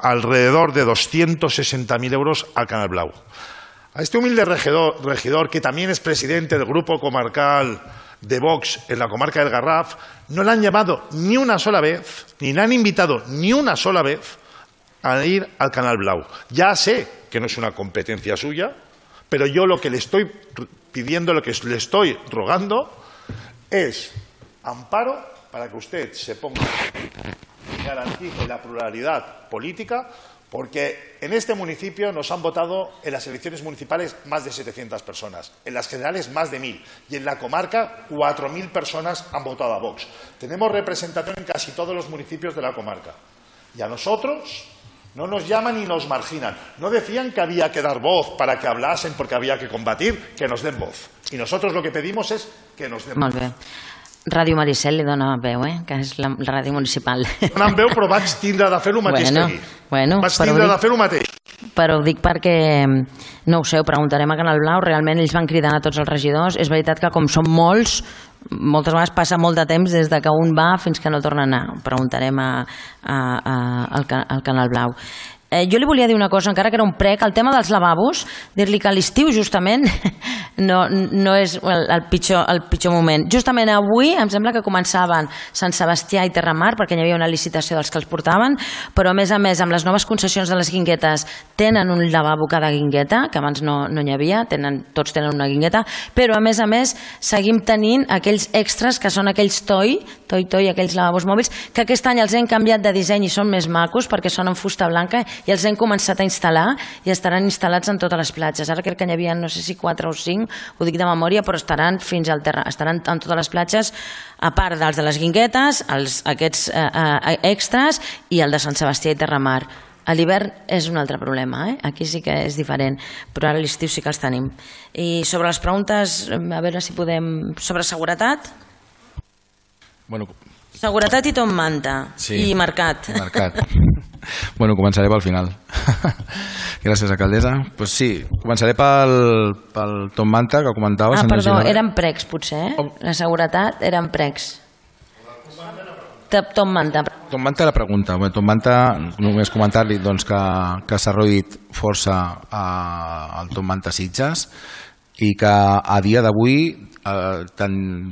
alrededor de 260.000 euros al Canal Blau. A este humilde regidor, que también es presidente del grupo comarcal de Vox en la comarca del Garraf, no le han llamado ni una sola vez, ni le han invitado ni una sola vez a ir al Canal Blau. Ya sé que no es una competencia suya, pero yo lo que le estoy pidiendo, lo que le estoy rogando es amparo para que usted se ponga y garantice la pluralidad política, porque en este municipio nos han votado en las elecciones municipales más de 700 personas, en las generales más de 1.000 y en la comarca 4.000 personas han votado a Vox. Tenemos representación en casi todos los municipios de la comarca y a nosotros no nos llaman y nos marginan. No decían que había que dar voz para que hablasen porque había que combatir, que nos den voz. Y nosotros lo que pedimos es que nos den voz. Molt bé. Ràdio Maricel li dona veu, que és la ràdio municipal. Donen veu, però vaig tindre de fer el mateix que ahir. Vaig tindre de fer el mateix. Però ho dic perquè, no ho sé, ho preguntarem a Canal Blau, realment ells van cridant a tots els regidors. És veritat que com som molts, moltes vegades passa molt de temps des que un va fins que no torna a anar. Ho preguntarem al Canal Blau. Jo li volia dir una cosa, encara que era un prec, el tema dels lavabos, dir-li que a l'estiu justament no és el pitjor moment. Justament avui em sembla que començaven Sant Sebastià i Terramar, perquè hi havia una licitació dels que els portaven, però a més, amb les noves concessions de les guinguetes tenen un lavabo cada guingueta, que abans no n'hi havia, tots tenen una guingueta, però a més seguim tenint aquells extras que són aquells toi, aquells lavabos mòbils, que aquest any els hem canviat de disseny i són més macos perquè són en fusta blanca i els hem començat a instal·lar i estaran instal·lats en totes les platges. Ara crec que n'hi havia, no sé si 4 o 5, ho dic de memòria, però estaran estaran en totes les platges, a part dels de les guinguetes, aquests extras i el de Sant Sebastià i Terramar. A l'hivern és un altre problema, aquí sí que és diferent, però ara a l'estiu sí que els tenim. I sobre les preguntes, a veure si podem... Sobre seguretat? Seguretat i Tom Manta. I mercat. Bueno, començaré pel final. Gràcies, alcaldessa. Pues sí, començaré pel Tom Manta, que comentaves. Perdó, eren precs, potser, La seguretat eren precs. Tom Manta. Tom Manta la pregunta. Tom Manta, només comentar-li que s'ha reduït força el Tom Manta Sitges i que a dia d'avui,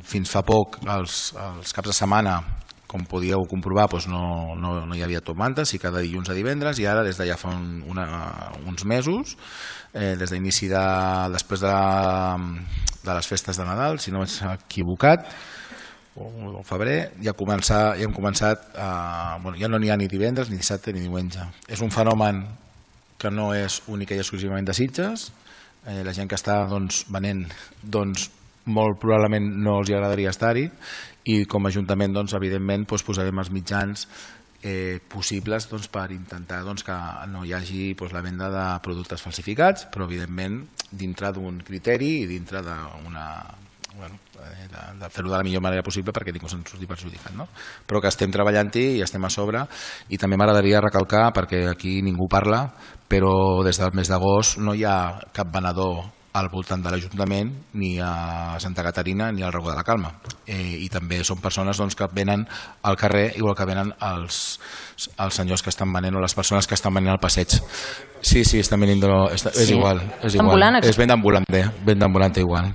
fins fa poc, els caps de setmana, com podíeu comprovar, no hi havia Tom Manta, sí que de dilluns a divendres, i ara des de ja fa uns mesos, des d'inici després de les festes de Nadal, si no m'he equivocat, o febrer, ja hem començat, ja no n'hi ha ni divendres, ni dissabte, ni diumenge. És un fenomen que no és únic i exclusivament de Sitges. La gent que està venent, molt probablement no els agradaria estar-hi, i com a Ajuntament, evidentment, posarem els mitjans possibles per intentar que no hi hagi la venda de productes falsificats, però evidentment dintre d'un criteri i dintre de fer-ho de la millor manera possible perquè ningú se'n surti perjudicat, però que estem treballant-hi i estem a sobre. I també m'agradaria recalcar, perquè aquí ningú parla, però des del mes d'agost no hi ha cap venedor al voltant de l'Ajuntament, ni a Santa Caterina ni al Racó de la Calma, i també són persones que venen al carrer igual que venen els senyors que estan venent o les persones que estan venent al passeig. Sí, estan venint, és igual, és venda ambulante igual.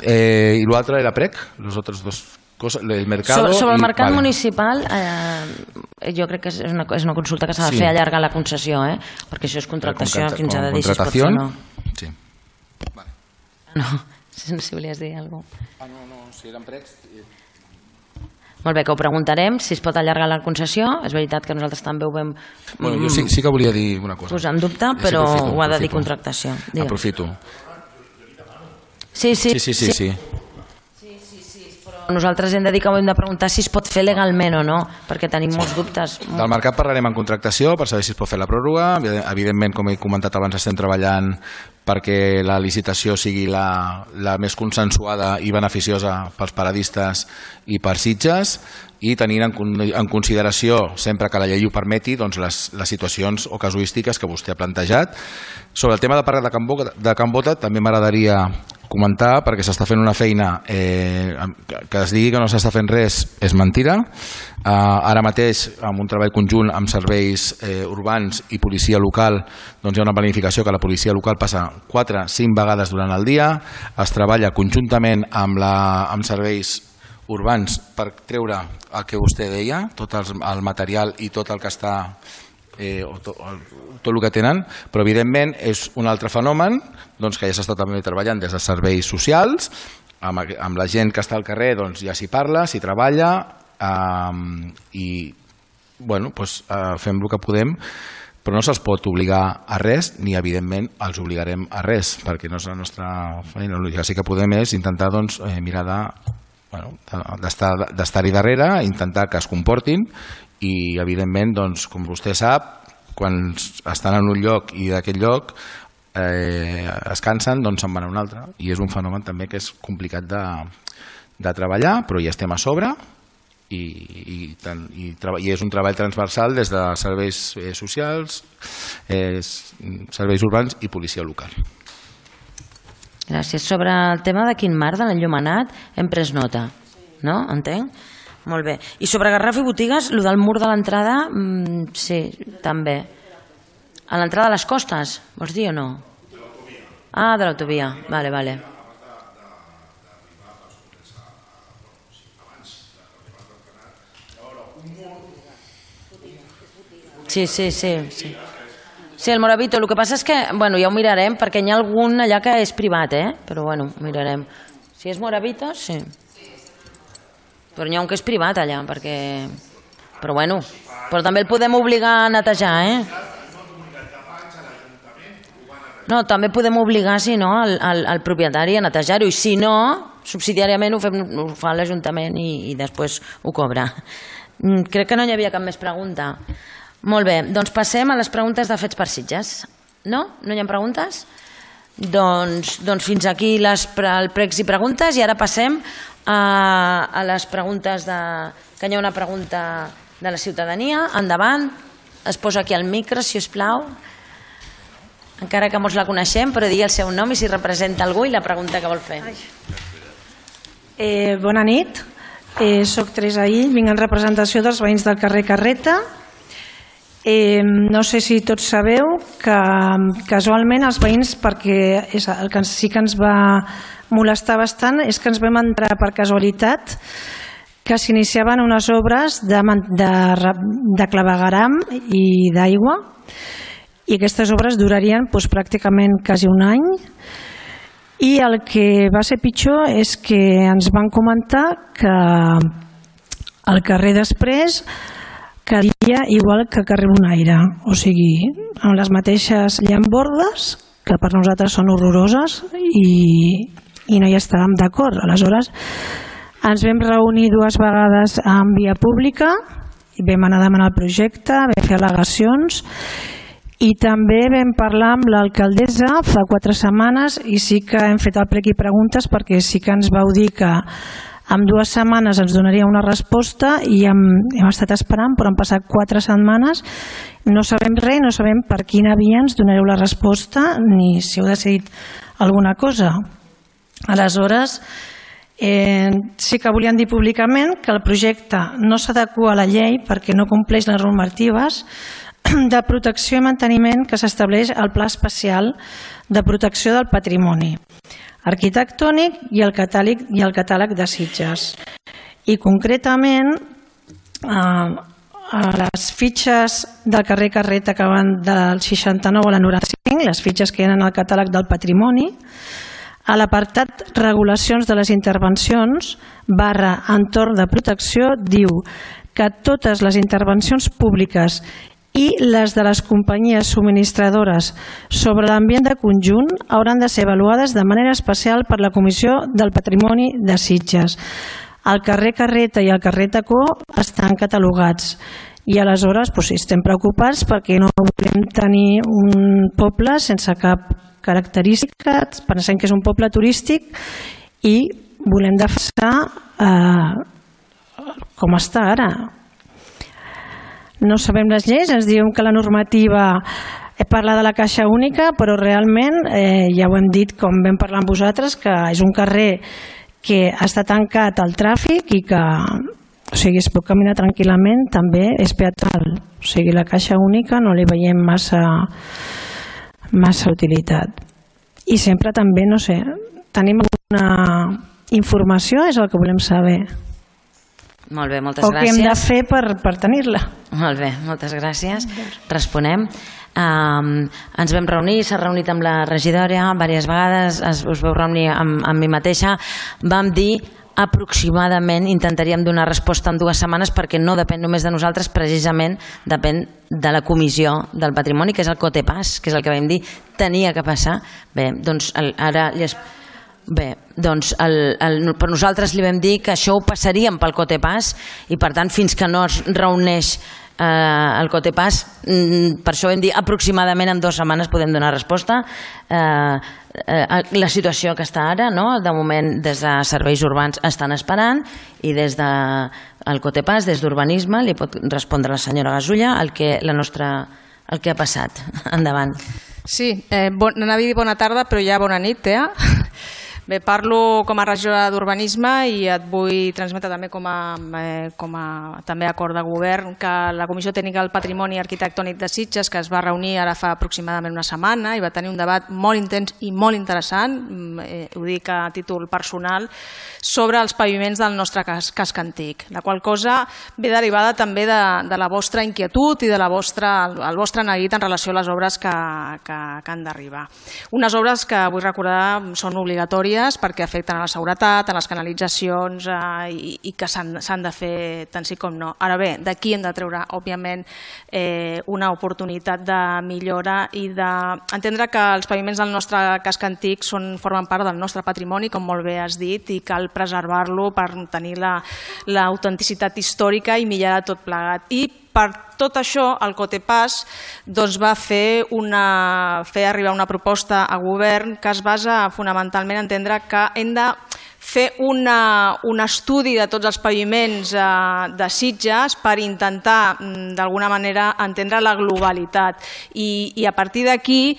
I l'altre era prec, los otros dos coses, el mercado. Sobre el mercat municipal, jo crec que és una consulta que s'ha de fer allargar la concessió, perquè això és contractació, quins ha de dir si es pot fer o no. Sí. No sé si volies dir alguna cosa. No, si eren precs... Molt bé, que ho preguntarem, si es pot allargar la concessió. És veritat que nosaltres també ho vam... Jo sí que volia dir una cosa. Posar en dubte, però ho ha de dir contractació. Aprofito. Sí. Nosaltres hem de dir que ho hem de preguntar si es pot fer legalment o no, perquè tenim molts dubtes. Del mercat parlarem en contractació per saber si es pot fer la pròrroga. Evidentment, com he comentat abans, estem treballant perquè la licitació sigui la més consensuada i beneficiosa pels paradistes i per Sitges, i tenint en consideració, sempre que la llei ho permeti, les situacions o casuístiques que vostè ha plantejat. Sobre el tema de parlar de Can Bota, també m'agradaria comentar, perquè s'està fent una feina, que es digui que no s'està fent res és mentira. Ara mateix, amb un treball conjunt amb serveis urbans i policia local, hi ha una planificació que la policia local passa 4-5 vegades durant el dia, es treballa conjuntament amb serveis urbans per treure el que vostè deia, tot el material i tot el que està tot el que tenen, però evidentment és un altre fenomen que ja s'està també treballant des de serveis socials, amb la gent que està al carrer ja s'hi parla, s'hi treballa i fem el que podem, però no se'ls pot obligar a res, ni evidentment els obligarem a res, perquè no és la nostra feina. El que sí que podem és intentar mirar d'estar-hi darrere, intentar que es comportin i evidentment, com vostè sap, quan estan en un lloc i d'aquest lloc es cansen, se'n van a un altre, i és un fenomen també que és complicat de treballar, però hi estem a sobre i és un treball transversal des de serveis socials, serveis urbans i policia local. Gràcies. Sobre el tema de Quin Mar, de l'enllumenat, hem pres nota, no? Entenc? Molt bé. I sobre Garraf i botigues, el del mur de l'entrada, sí, també. A l'entrada de les costes, vols dir o no? De l'autovia. Ah, de l'autovia, vale. Sí. Sí, el Moravito. El que passa és que, ja ho mirarem, perquè hi ha algun allà que és privat, però ho mirarem. Si és Moravito, sí. Però n'hi ha un que és privat allà, perquè... Però també el podem obligar a netejar, No, també podem obligar, si no, al propietari a netejar-ho, i si no, subsidiàriament ho fa l'Ajuntament i després ho cobra. Crec que no hi havia cap més pregunta. Molt bé, doncs passem a les preguntes de Fets per Sitges. No? No hi ha preguntes? Doncs fins aquí el pregs i preguntes, i ara passem a les preguntes que hi ha una pregunta de la ciutadania. Endavant, es posa aquí al micro, si us plau. Encara que molts la coneixem, però digui el seu nom i si representa algú i la pregunta que vol fer. Bona nit, soc Teresa Ill, vinc en representació dels veïns del carrer Carreta. No sé si tots sabeu que casualment els veïns, perquè el que sí que ens va molestar bastant és que ens vam entrar per casualitat que s'iniciaven unes obres de clavegueram i d'aigua, i aquestes obres durarien pràcticament quasi un any, i el que va ser pitjor és que ens van comentar que el carrer després quedaria igual que carrer Bonaire, o sigui, amb les mateixes llambordes, que per nosaltres són horroroses, i no hi estàvem d'acord. Aleshores, ens vam reunir 2 vegades en via pública, i vam anar a demanar el projecte, vam fer al·legacions, i també vam parlar amb l'alcaldessa fa 4 setmanes, i sí que hem fet el plec i preguntes, perquè sí que ens vau dir que en 2 setmanes ens donaria una resposta, i hem estat esperant, però han passat 4 setmanes, no sabem res, no sabem per quina via ens donareu la resposta, ni si heu decidit alguna cosa. Aleshores, sí que volien dir públicament que el projecte no s'adequa a la llei perquè no compleix les normatives de protecció i manteniment que s'estableix al Pla Especial de Protecció del Patrimoni Arquitectònic i el catàleg de Sitges. I concretament, a les fitxes del carrer Carreta que van del 69 a la 95, les fitxes que hi ha en el catàleg del patrimoni, a l'apartat Regulacions de les intervencions / entorn de protecció diu que totes les intervencions públiques i les de les companyies subministradores sobre l'ambient de conjunt hauran de ser avaluades de manera especial per la Comissió del Patrimoni de Sitges. El carrer Carreta i el carrer Tacó estan catalogats, i aleshores estem preocupats perquè no volem tenir un poble sense cap característica, pensem que és un poble turístic i volem defensar com està ara. No sabem les lleis, ens diuen que la normativa parla de la caixa única, però realment, ja ho hem dit com vam parlar amb vosaltres, que és un carrer que està tancat al tràfic i que es pot caminar tranquil·lament, també és peatonal. O sigui, la caixa única no li veiem massa utilitat. I sempre també, no sé, tenim alguna informació, és el que volem saber. Molt bé, moltes o gràcies. què hem de fer per tenir-la. Molt bé, moltes gràcies. Responem. Ens vam reunir, s'ha reunit amb la regidora diverses vegades, us vau reunir amb mi mateixa, vam dir aproximadament intentaríem donar resposta en 2 setmanes perquè no depèn només de nosaltres, precisament depèn de la comissió del patrimoni, que és el COTEPAS, que és el que vam dir, tenia que passar. Bé, doncs ara... Bé, doncs per nosaltres li vam dir que això ho passaríem pel COTEPAS i per tant fins que no es reuneix el COTEPAS, per això vam dir aproximadament en 2 setmanes podem donar resposta. La situació que està ara, de moment des de serveis urbans estan esperant i des del COTEPAS, des d'urbanisme, li pot respondre la senyora Gasulla el que ha passat. Endavant. Sí, anava a dir bona tarda però ja bona nit, Bé, parlo com a regidora d'Urbanisme i et vull transmetre també com a també acord de govern que la Comissió Tècnica del Patrimoni Arquitectònic de Sitges, que es va reunir ara fa aproximadament una setmana i va tenir un debat molt intens i molt interessant, ho dic a títol personal, sobre els paviments del nostre casc antic, la qual cosa ve derivada també de la vostra inquietud i del vostre neguit en relació a les obres que han d'arribar. Unes obres que vull recordar són obligatòries perquè afecten a la seguretat, a les canalitzacions i que s'han de fer tant sí com no. Ara bé, d'aquí hem de treure, òbviament, una oportunitat de millora i d'entendre que els paviments del nostre casc antic formen part del nostre patrimoni, com molt bé has dit, i cal preservar-lo per tenir l'autenticitat històrica i millorar tot plegat. I per tot això, el COTEPAS va fer arribar una proposta a govern que es basa fonamentalment en entendre que hem de fer un estudi de tots els paviments de Sitges per intentar, d'alguna manera, entendre la globalitat i a partir d'aquí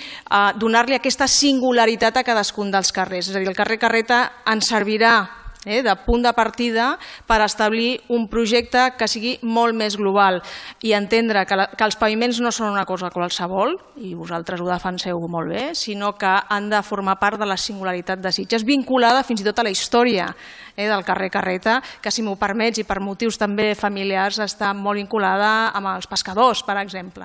donar-li aquesta singularitat a cadascun dels carrers. És a dir, el carrer Carreta ens servirà de punt de partida per establir un projecte que sigui molt més global i entendre que els paviments no són una cosa qualsevol, i vosaltres ho defenseu molt bé, sinó que han de formar part de la singularitat de Sitges, vinculada fins i tot a la història del carrer Carreta, que si m'ho permets i per motius també familiars està molt vinculada amb els pescadors, per exemple.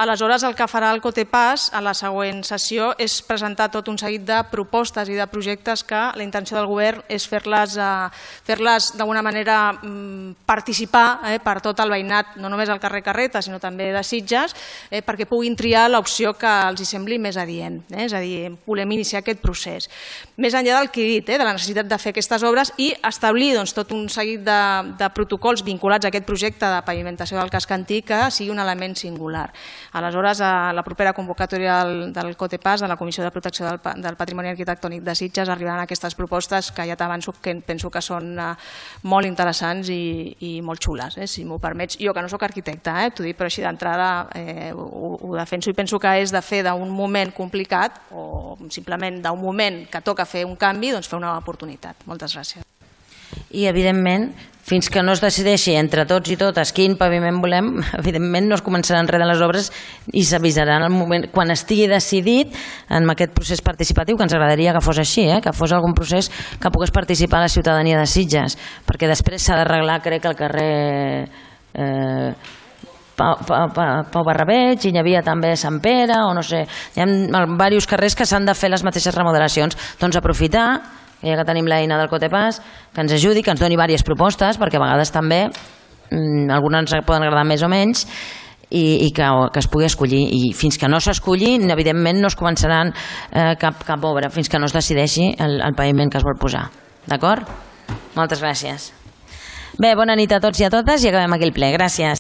Aleshores, el que farà el COTEPAS a la següent sessió és presentar tot un seguit de propostes i de projectes que la intenció del govern és fer-les d'alguna manera participar per tot el veïnat, no només al carrer Carreta, sinó també de Sitges, perquè puguin triar l'opció que els sembli més adient. És a dir, volem iniciar aquest procés. Més enllà del que he dit, de la necessitat de fer aquestes obres i establir tot un seguit de protocols vinculats a aquest projecte de pavimentació del casc antic que sigui un element singular. Aleshores, a la propera convocatòria del COTEPAS, de la Comissió de Protecció del Patrimoni Arquitectònic de Sitges, arribaran aquestes propostes que ja t'avanço que penso que són molt interessants i molt xules, si m'ho permets. Jo, que no soc arquitecta, t'ho dic, però així d'entrada ho defenso i penso que és de fer d'un moment complicat o simplement d'un moment que toca fer un canvi, doncs fer una oportunitat. Moltes gràcies. I, evidentment, fins que no es decideixi entre tots i totes quin paviment volem, evidentment no es començaran res de les obres i s'avisaran el moment, quan estigui decidit en aquest procés participatiu, que ens agradaria que fos així, que fos algun procés que pogués participar la ciutadania de Sitges, perquè després s'ha d'arreglar, crec, el carrer Pau Barrabeig, i hi havia també Sant Pere, o no sé, hi ha diversos carrers que s'han de fer les mateixes remodelacions. Doncs aprofitar, ja que tenim l'eina del COTEPAS, que ens ajudi, que ens doni diverses propostes, perquè a vegades també algunes ens poden agradar més o menys, i que es pugui escollir. I fins que no s'escolli, evidentment no es començaran cap obra, fins que no es decideixi el paviment que es vol posar. D'acord? Moltes gràcies. Bé, bona nit a tots i a totes i acabem aquí el ple. Gràcies.